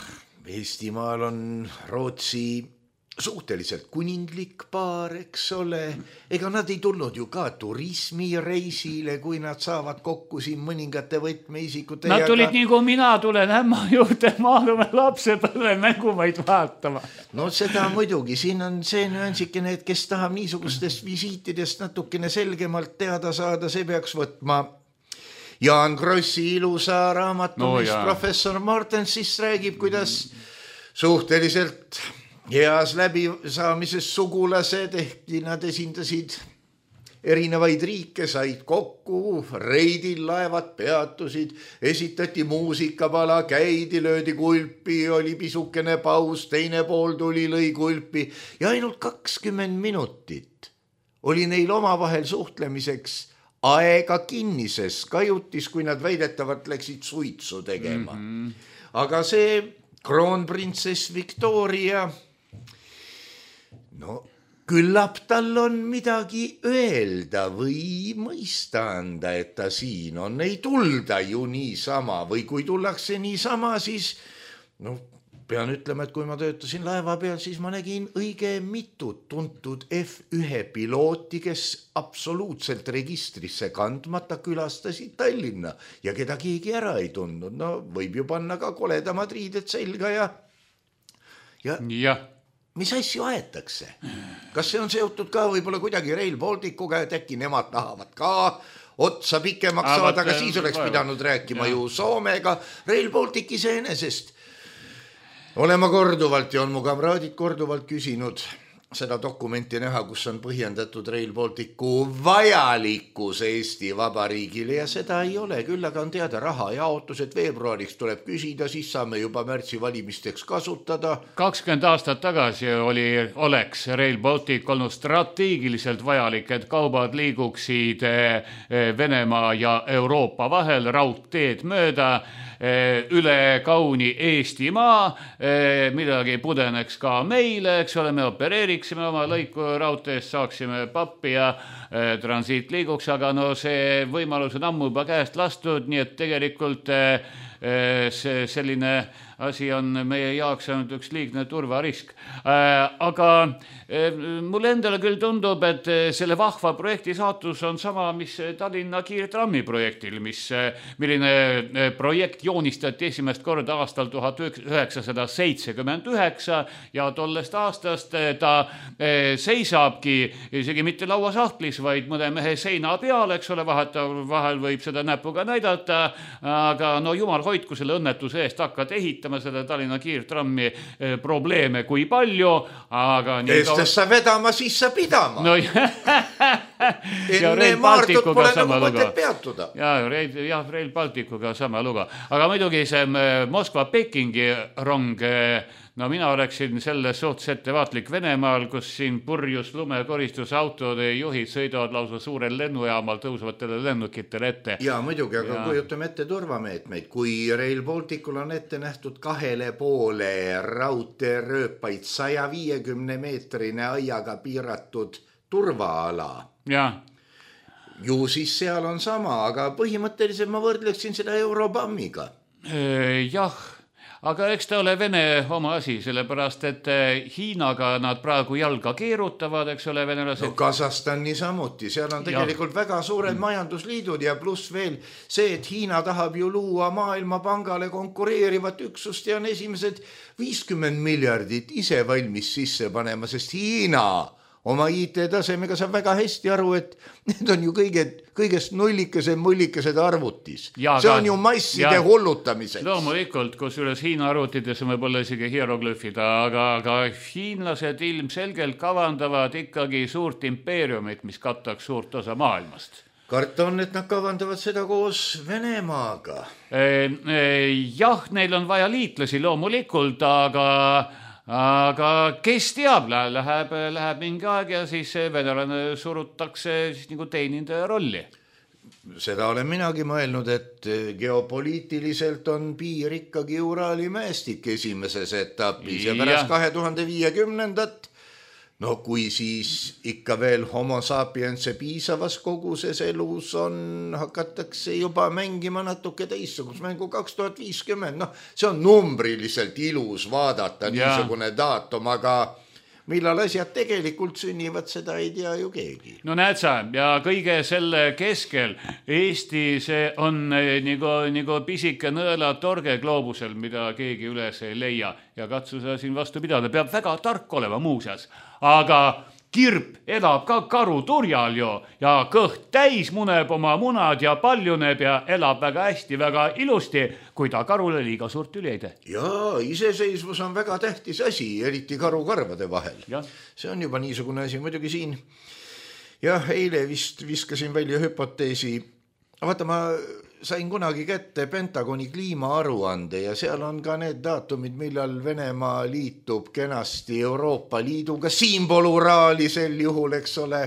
Eestimaal on Rootsi suhteliselt kuninglik paar, eks ole. Ega nad ei tulnud ju ka turismireisile, kui nad saavad kokku siin mõningate võtmeisikute. Nad tulid ka... nii kui mina tulen ämma juurde maalume lapsepõlve mängumaid vaatama. No seda muidugi, siin on see nüansikene, et kes tahab niisugustest visiitidest natukene selgemalt teada saada, see peaks võtma Jaan Krossi ilusa raamatu, no, mis professor Martens siis räägib, kuidas suhteliselt heas läbisaamises sugulased, ehkki nad esindasid erinevaid riike, said kokku, reidil laevad peatusid, esitati muusikapala, käidi, löödi kulpi, oli pisukene paus, teine pool tuli, lõi kulpi ja ainult kakskümmend minutit oli neil omavahel suhtlemiseks aega kinnises kajutis, kui nad väidetavalt läksid suitsu tegema. Mm-hmm. Aga see kroonprintsess Victoria, no küllap tal on midagi öelda või mõista anda, et ta siin on. Ei tulda ju niisama või kui tullakse niisama, siis no pean ütlema, et kui ma töötasin laeva peal, siis ma nägin õige mitut tuntud F üks pilooti, kes absoluutselt registrisse kandmata külastasid Tallinna ja keda keegi ära ei tundnud. No võib ju panna ka koledamad riided selga ja ja, ja. Mis asju aetakse? Kas see on seotud ka võib-olla kuidagi Rail Balticuga, et äkki nemad tahavad ka otsa pikemaks ah, saada, aga siis oleks pidanud rääkima ja. Ju Soomega. Rail Baltic iseenesest. Olen ma korduvalt ja on mu kamraadid korduvalt küsinud seda dokumenti näha, kus on põhjendatud Rail Balticu vajalikkus Eesti Vabariigile ja seda ei ole. Küll aga on teada raha jaotus, et veebruariks tuleb küsida, siis saame juba märtsi valimisteks kasutada. kakskümmend aastat tagasi oli, oleks Rail Baltic olnud strateegiliselt vajalik, et kaubad liiguksid Venemaa ja Euroopa vahel raudteed mööda üle kauni Eestimaa, midagi pudeneks ka meile, eks ole, me opereeriksime oma lõiku raudteest, saaksime pappi ja transiit liiguks, aga no see võimalus on ammu juba käest lastud, nii et tegelikult see selline asi on meie jaoks ainult üks liigne turvarisk. Aga mulle endale küll tundub, et selle vahva projekti saatus on sama, mis Tallinna kiirtrammi projektil, mis, milline projekt joonistati esimest korda aastal tuhat üheksasada seitsekümmend üheksa ja tollest aastast ta seisabki isegi mitte lauasahtlis, vaid mõne mehe seina peal, eks ole, vahel võib seda näpuga näidata, aga no jumal hoidku selle õnnetuse eest hakkad ehitama seda Tallinna kiirtrammi probleeme kui palju, aga Eestes sa vedama, siis sa pidama. No, enne Maartut pole nagu mõtet peatuda. Ja, ja Rail Balticuga sama luga. Aga muidugi see Moskva-Pekingi rong, no mina oleksin selles suhtes ettevaatlik Venemaal, kus siin purjus lumekoristusautode juhid sõidavad lausa suurel lennujaamal tõusvatele lennukitele ette. Ja muidugi, aga ja. Kujutame ette turvameetmeid. Kui Rail Balticul on ette nähtud kahele poole raudteerööpaid saja viiekümne meetrine aiaga piiratud turvaala. Ja. Ju siis seal on sama, aga põhimõtteliselt ma võrdleksin seda Eurobammiga. Jah. Aga eks ta ole Vene oma asi, sellepärast, et Hiinaga nad praegu jalga keerutavad, eks ole, venelased. No Kasahstan niisamuti, seal on tegelikult ja. Väga suured majandusliidud ja pluss veel see, et Hiina tahab ju luua Maailmapangale konkureerivat üksust ja on esimesed viiskümmend miljardit ise valmis sisse panema, sest Hiina oma I T-tasemega saab väga hästi aru, et need on ju kõige, kõigest nullikesed, mullikesed arvutis. Ja, see on ju masside ja, hullutamiseks. Loomulikult, kus üles Hiina arvutides on võib-olla isegi hieroglüfida, aga, aga hiinlased ilmselgelt kavandavad ikkagi suurt impeeriumit, mis kattaks suurt osa maailmast. Karta on, et nad kavandavad seda koos Venemaaga. E, e, jah, neil on vaja liitlasi loomulikult, aga... Aga kes teab, läheb, läheb mingi aeg ja siis venelane surutakse siis nagu teenindaja rolli. seda olen minagi mõelnud, et geopoliitiliselt on piir ikkagi Uraali mäestik esimeses etapis ja, ja pärast kahe tuhande viiekümnendat, no kui siis ikka veel homo sapiense piisavas koguses elus on, hakatakse juba mängima natuke teistsugust mängu kaks tuhat viiskümmend, noh, see on numbriliselt ilus vaadata ja. Niisugune daatum, aga millal asjad tegelikult sünnivad, seda ei tea ju keegi. No näed sa, ja kõige selle keskel Eesti see on nagu, nagu pisike nõelatorge gloobusel, mida keegi üles ei leia ja katsu sa siin vastu pidada, peab väga tark olema muuseas, aga kirp elab ka karuturjal ju ja kõht täis muneb oma munad ja paljuneb ja elab väga hästi, väga ilusti, kui ta karule liiga suurt üli ei tee. Jaa, iseseisvus on väga tähtis asi, eriti karukarvade vahel. Ja. See on juba niisugune asi muidugi siin. Jah, eile vist viskasin välja hüpoteesi. Vaata, ma sain kunagi kätte Pentagoni kliimaaruande ja seal on ka need daatumid, millal Venemaa liitub kenasti Euroopa Liiduga. Siinpool Uraali sel juhul, eks ole.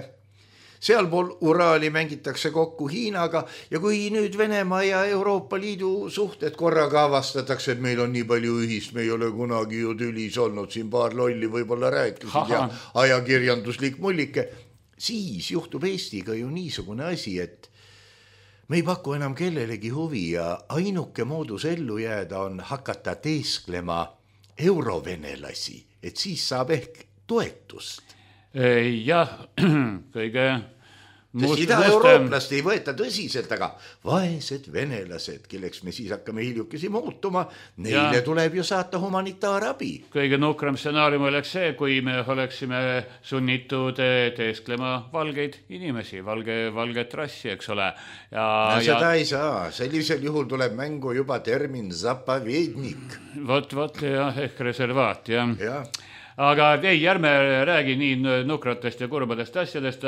Sealpool Uraali mängitakse kokku Hiinaga ja kui nüüd Venemaa ja Euroopa Liidu suhted korraga avastatakse, et meil on nii palju ühist, me ei ole kunagi ju tülis olnud, siin paar lolli võib-olla rääkisid ja ajakirjanduslik mullike, siis juhtub Eestiga ju niisugune asi, et me ei paku enam kellelegi huvi ja ainuke moodus ellu jääda on hakata teesklema eurovenelasi, et siis saab ehk toetust. Jah, kõige Sest ida-eurooplast ei võeta tõsiselt, aga vaesed venelased, kelleks me siis hakkame hiljukesi muutuma, neile ja. Tuleb ju saata humanitaarabi. Kõige nukram stsenaarium oleks see, kui me oleksime sunnitud teesklema valgeid inimesi, valge, valget rassi, eks ole. Ja, no, seda ja... ei saa, sellisel juhul tuleb mängu juba termin zapavednik. Vot, vot, jah, ehk reservaat, jah. Ja. Aga ei, ärme räägi nii nukratest ja kurbadest asjadest.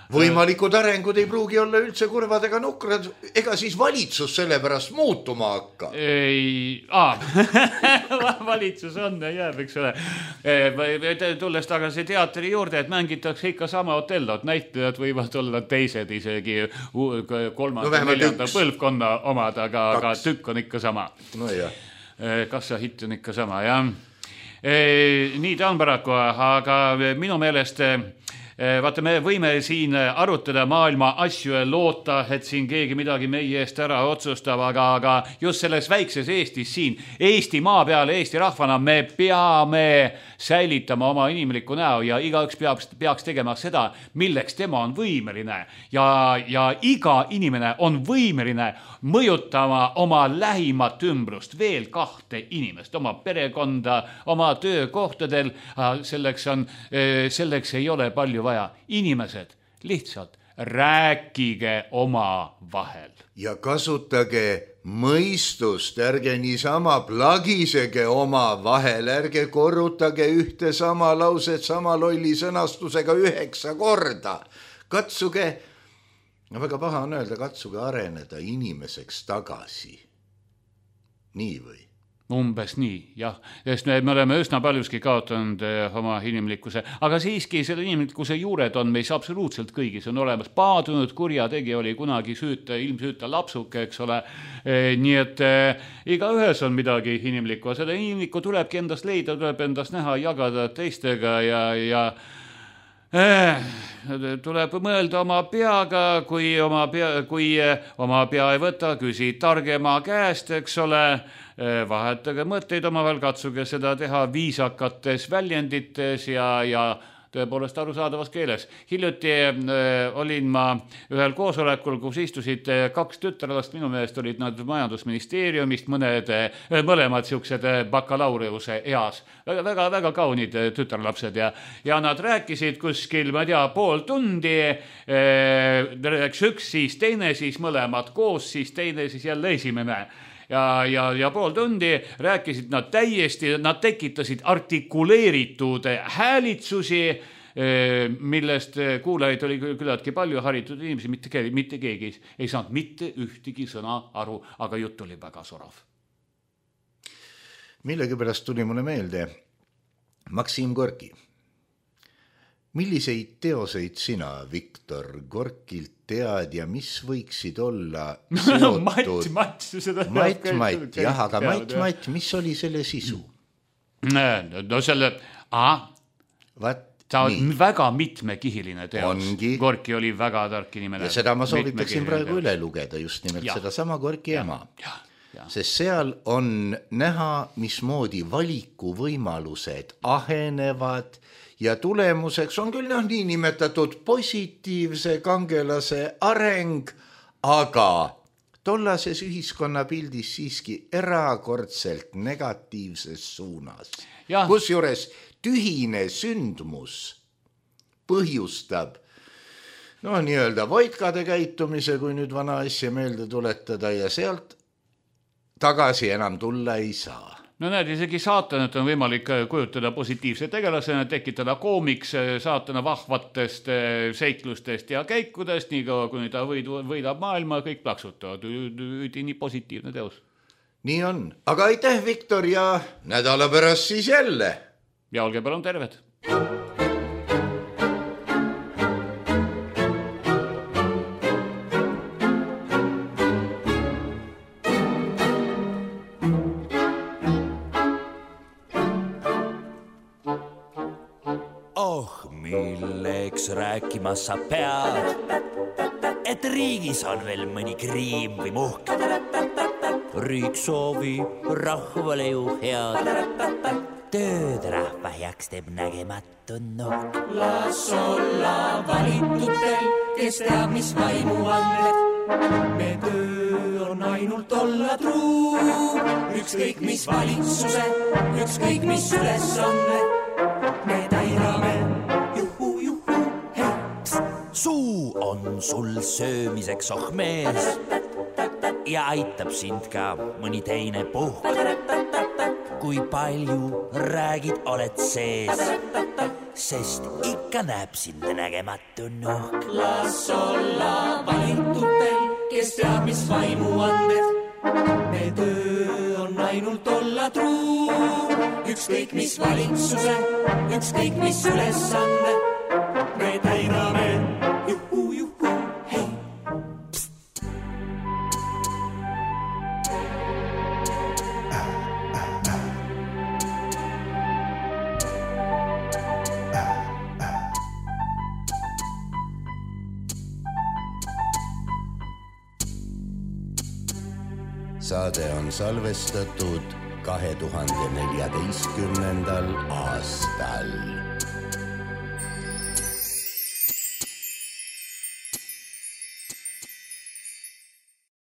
Võimalikud arengud ei pruugi olla üldse kurvad ega nukrad, ega siis valitsus selle pärast muutuma hakka. Ei, aa, valitsus on ja jääb, eks ole. Tulles tagasi teatri juurde, et mängitakse ikka sama Otellot, näitlejad võivad olla teised isegi kolmanda, no, neljanda põlvkonna omad, aga, aga tükk on ikka sama. No jah. Kassa hitt on ikka sama, jah. Nii ta on paraku, aga minu meelest vaata, me võime siin arutada maailma asju ja loota, et siin keegi midagi meie eest ära otsustab, aga, aga just selles väikses Eestis siin, Eesti maa peale, Eesti rahvana me peame säilitama oma inimliku näo ja igaüks peaks, peaks tegema seda, milleks tema on võimeline ja, ja iga inimene on võimeline mõjutama oma lähimat ümbrust, veel kahte inimest, oma perekonda, oma töökohtadel, selleks, on, selleks ei ole palju vaja. Inimesed lihtsalt rääkige oma vahel. Ja kasutage mõistust, ärge niisama plagisege oma vahel, ärge korrutage ühte sama lauset sama lolli sõnastusega üheksa korda. Katsuge, no väga paha on öelda, katsuge areneda inimeseks tagasi. Nii või? Umbes nii, jah, sest me, me oleme üsna paljuski kaotanud oma inimlikkuse, aga siiski selle inimlikkuse juured on meis absoluutselt kõigis on olemas. Paadunud kurjategi oli kunagi süüta, ilmsüüta lapsuke, eks ole, e, nii et e, iga ühes on midagi inimlikku, seda inimlikku tulebki endast leida, tuleb endast näha, jagada teistega ja, ja eh, tuleb mõelda oma peaga, kui oma pea, kui oma pea ei võta, küsi targema käest, eks ole, vahetage mõtteid omavahel, katsuge seda teha viisakates väljendites ja, ja tõepoolest arusaadavas keeles. Hiljuti äh, olin ma ühel koosolekul, kus istusid kaks tütarlast, minu meelest olid nad majandusministeeriumist, mõned, mõlemad siuksed bakalaureuse eas. Väga, väga, väga kaunid tütarlapsed ja, ja nad rääkisid kuskil, ma tea, pool tundi, äh, rääks üks, siis teine, siis mõlemad koos, siis teine, siis jälle esimene. Ja, ja, ja pool tundi rääkisid nad täiesti, nad tekitasid artikuleeritud häälitsusi, millest kuulajaid oli küllaltki palju haritud inimesi, mitte, mitte keegi ei saanud mitte ühtegi sõna aru, aga jutt oli väga sorav. Millegi pärast tuli mulle meelde Maksim Gorki. Milliseid teoseid sina, Viktor, Gorkilt tead ja mis võiksid olla seotud? Matt, Matt, seda Matt, Matt, jah, aga Matt, Matt, mis oli selle sisu? No selle, aha, Vat, ta on nii. Väga mitmekihiline teos. Ongi. Gorki oli väga tark inimene. Ja seda ma soovitaksin praegu üle lugeda, just nimelt ja. Seda sama Gorki ja. Ema. Ja. Ja. Sest seal on näha, mismoodi valikuvõimalused ahenevad ja tulemuseks on küll noh, nii nimetatud positiivse kangelase areng, aga tollases ühiskonnapildis siiski erakordselt negatiivses suunas. Ja. Kus juures tühine sündmus põhjustab no nii-öelda voitkade käitumise, kui nüüd vana asja meelde tuletada ja sealt tagasi enam tulla ei saa. No näed, isegi saatanat on võimalik kujutada positiivse tegelasena, tekitada koomiks saatana vahvatest seiklustest ja käikudest, nii kaua kuni ta võidab maailma, kõik plaksutavad. Üdi nii positiivne teos. Nii on. Aga aitäh, Viktor, ja nädala pärast siis jälle. Ja olge palun terved. Milleks rääkima sa pead, et riigis on veel mõni kriim või muhk. Riik soovib rahvale ju head, tööd rahva heaks teeb nägematu nokk. Las olla valitutel, kes teab, mis vaimu anded. Me töö on ainult olla truu, ükskõik mis valitsuse, ükskõik mis ülesande. Me täidame suu on sul söömiseks oh mees ja aitab sind ka mõni teine puhk. Kui palju räägid, oled sees, sest ikka näeb sind nägematu nokk. Las olla valitutel, kes teab, mis vaimu anded. Me töö on ainult olla truu, ükskõik mis valitsuse, ükskõik mis ülesande. Me täidame saade on salvestatud kahe tuhande neljateistkümnendal aastal.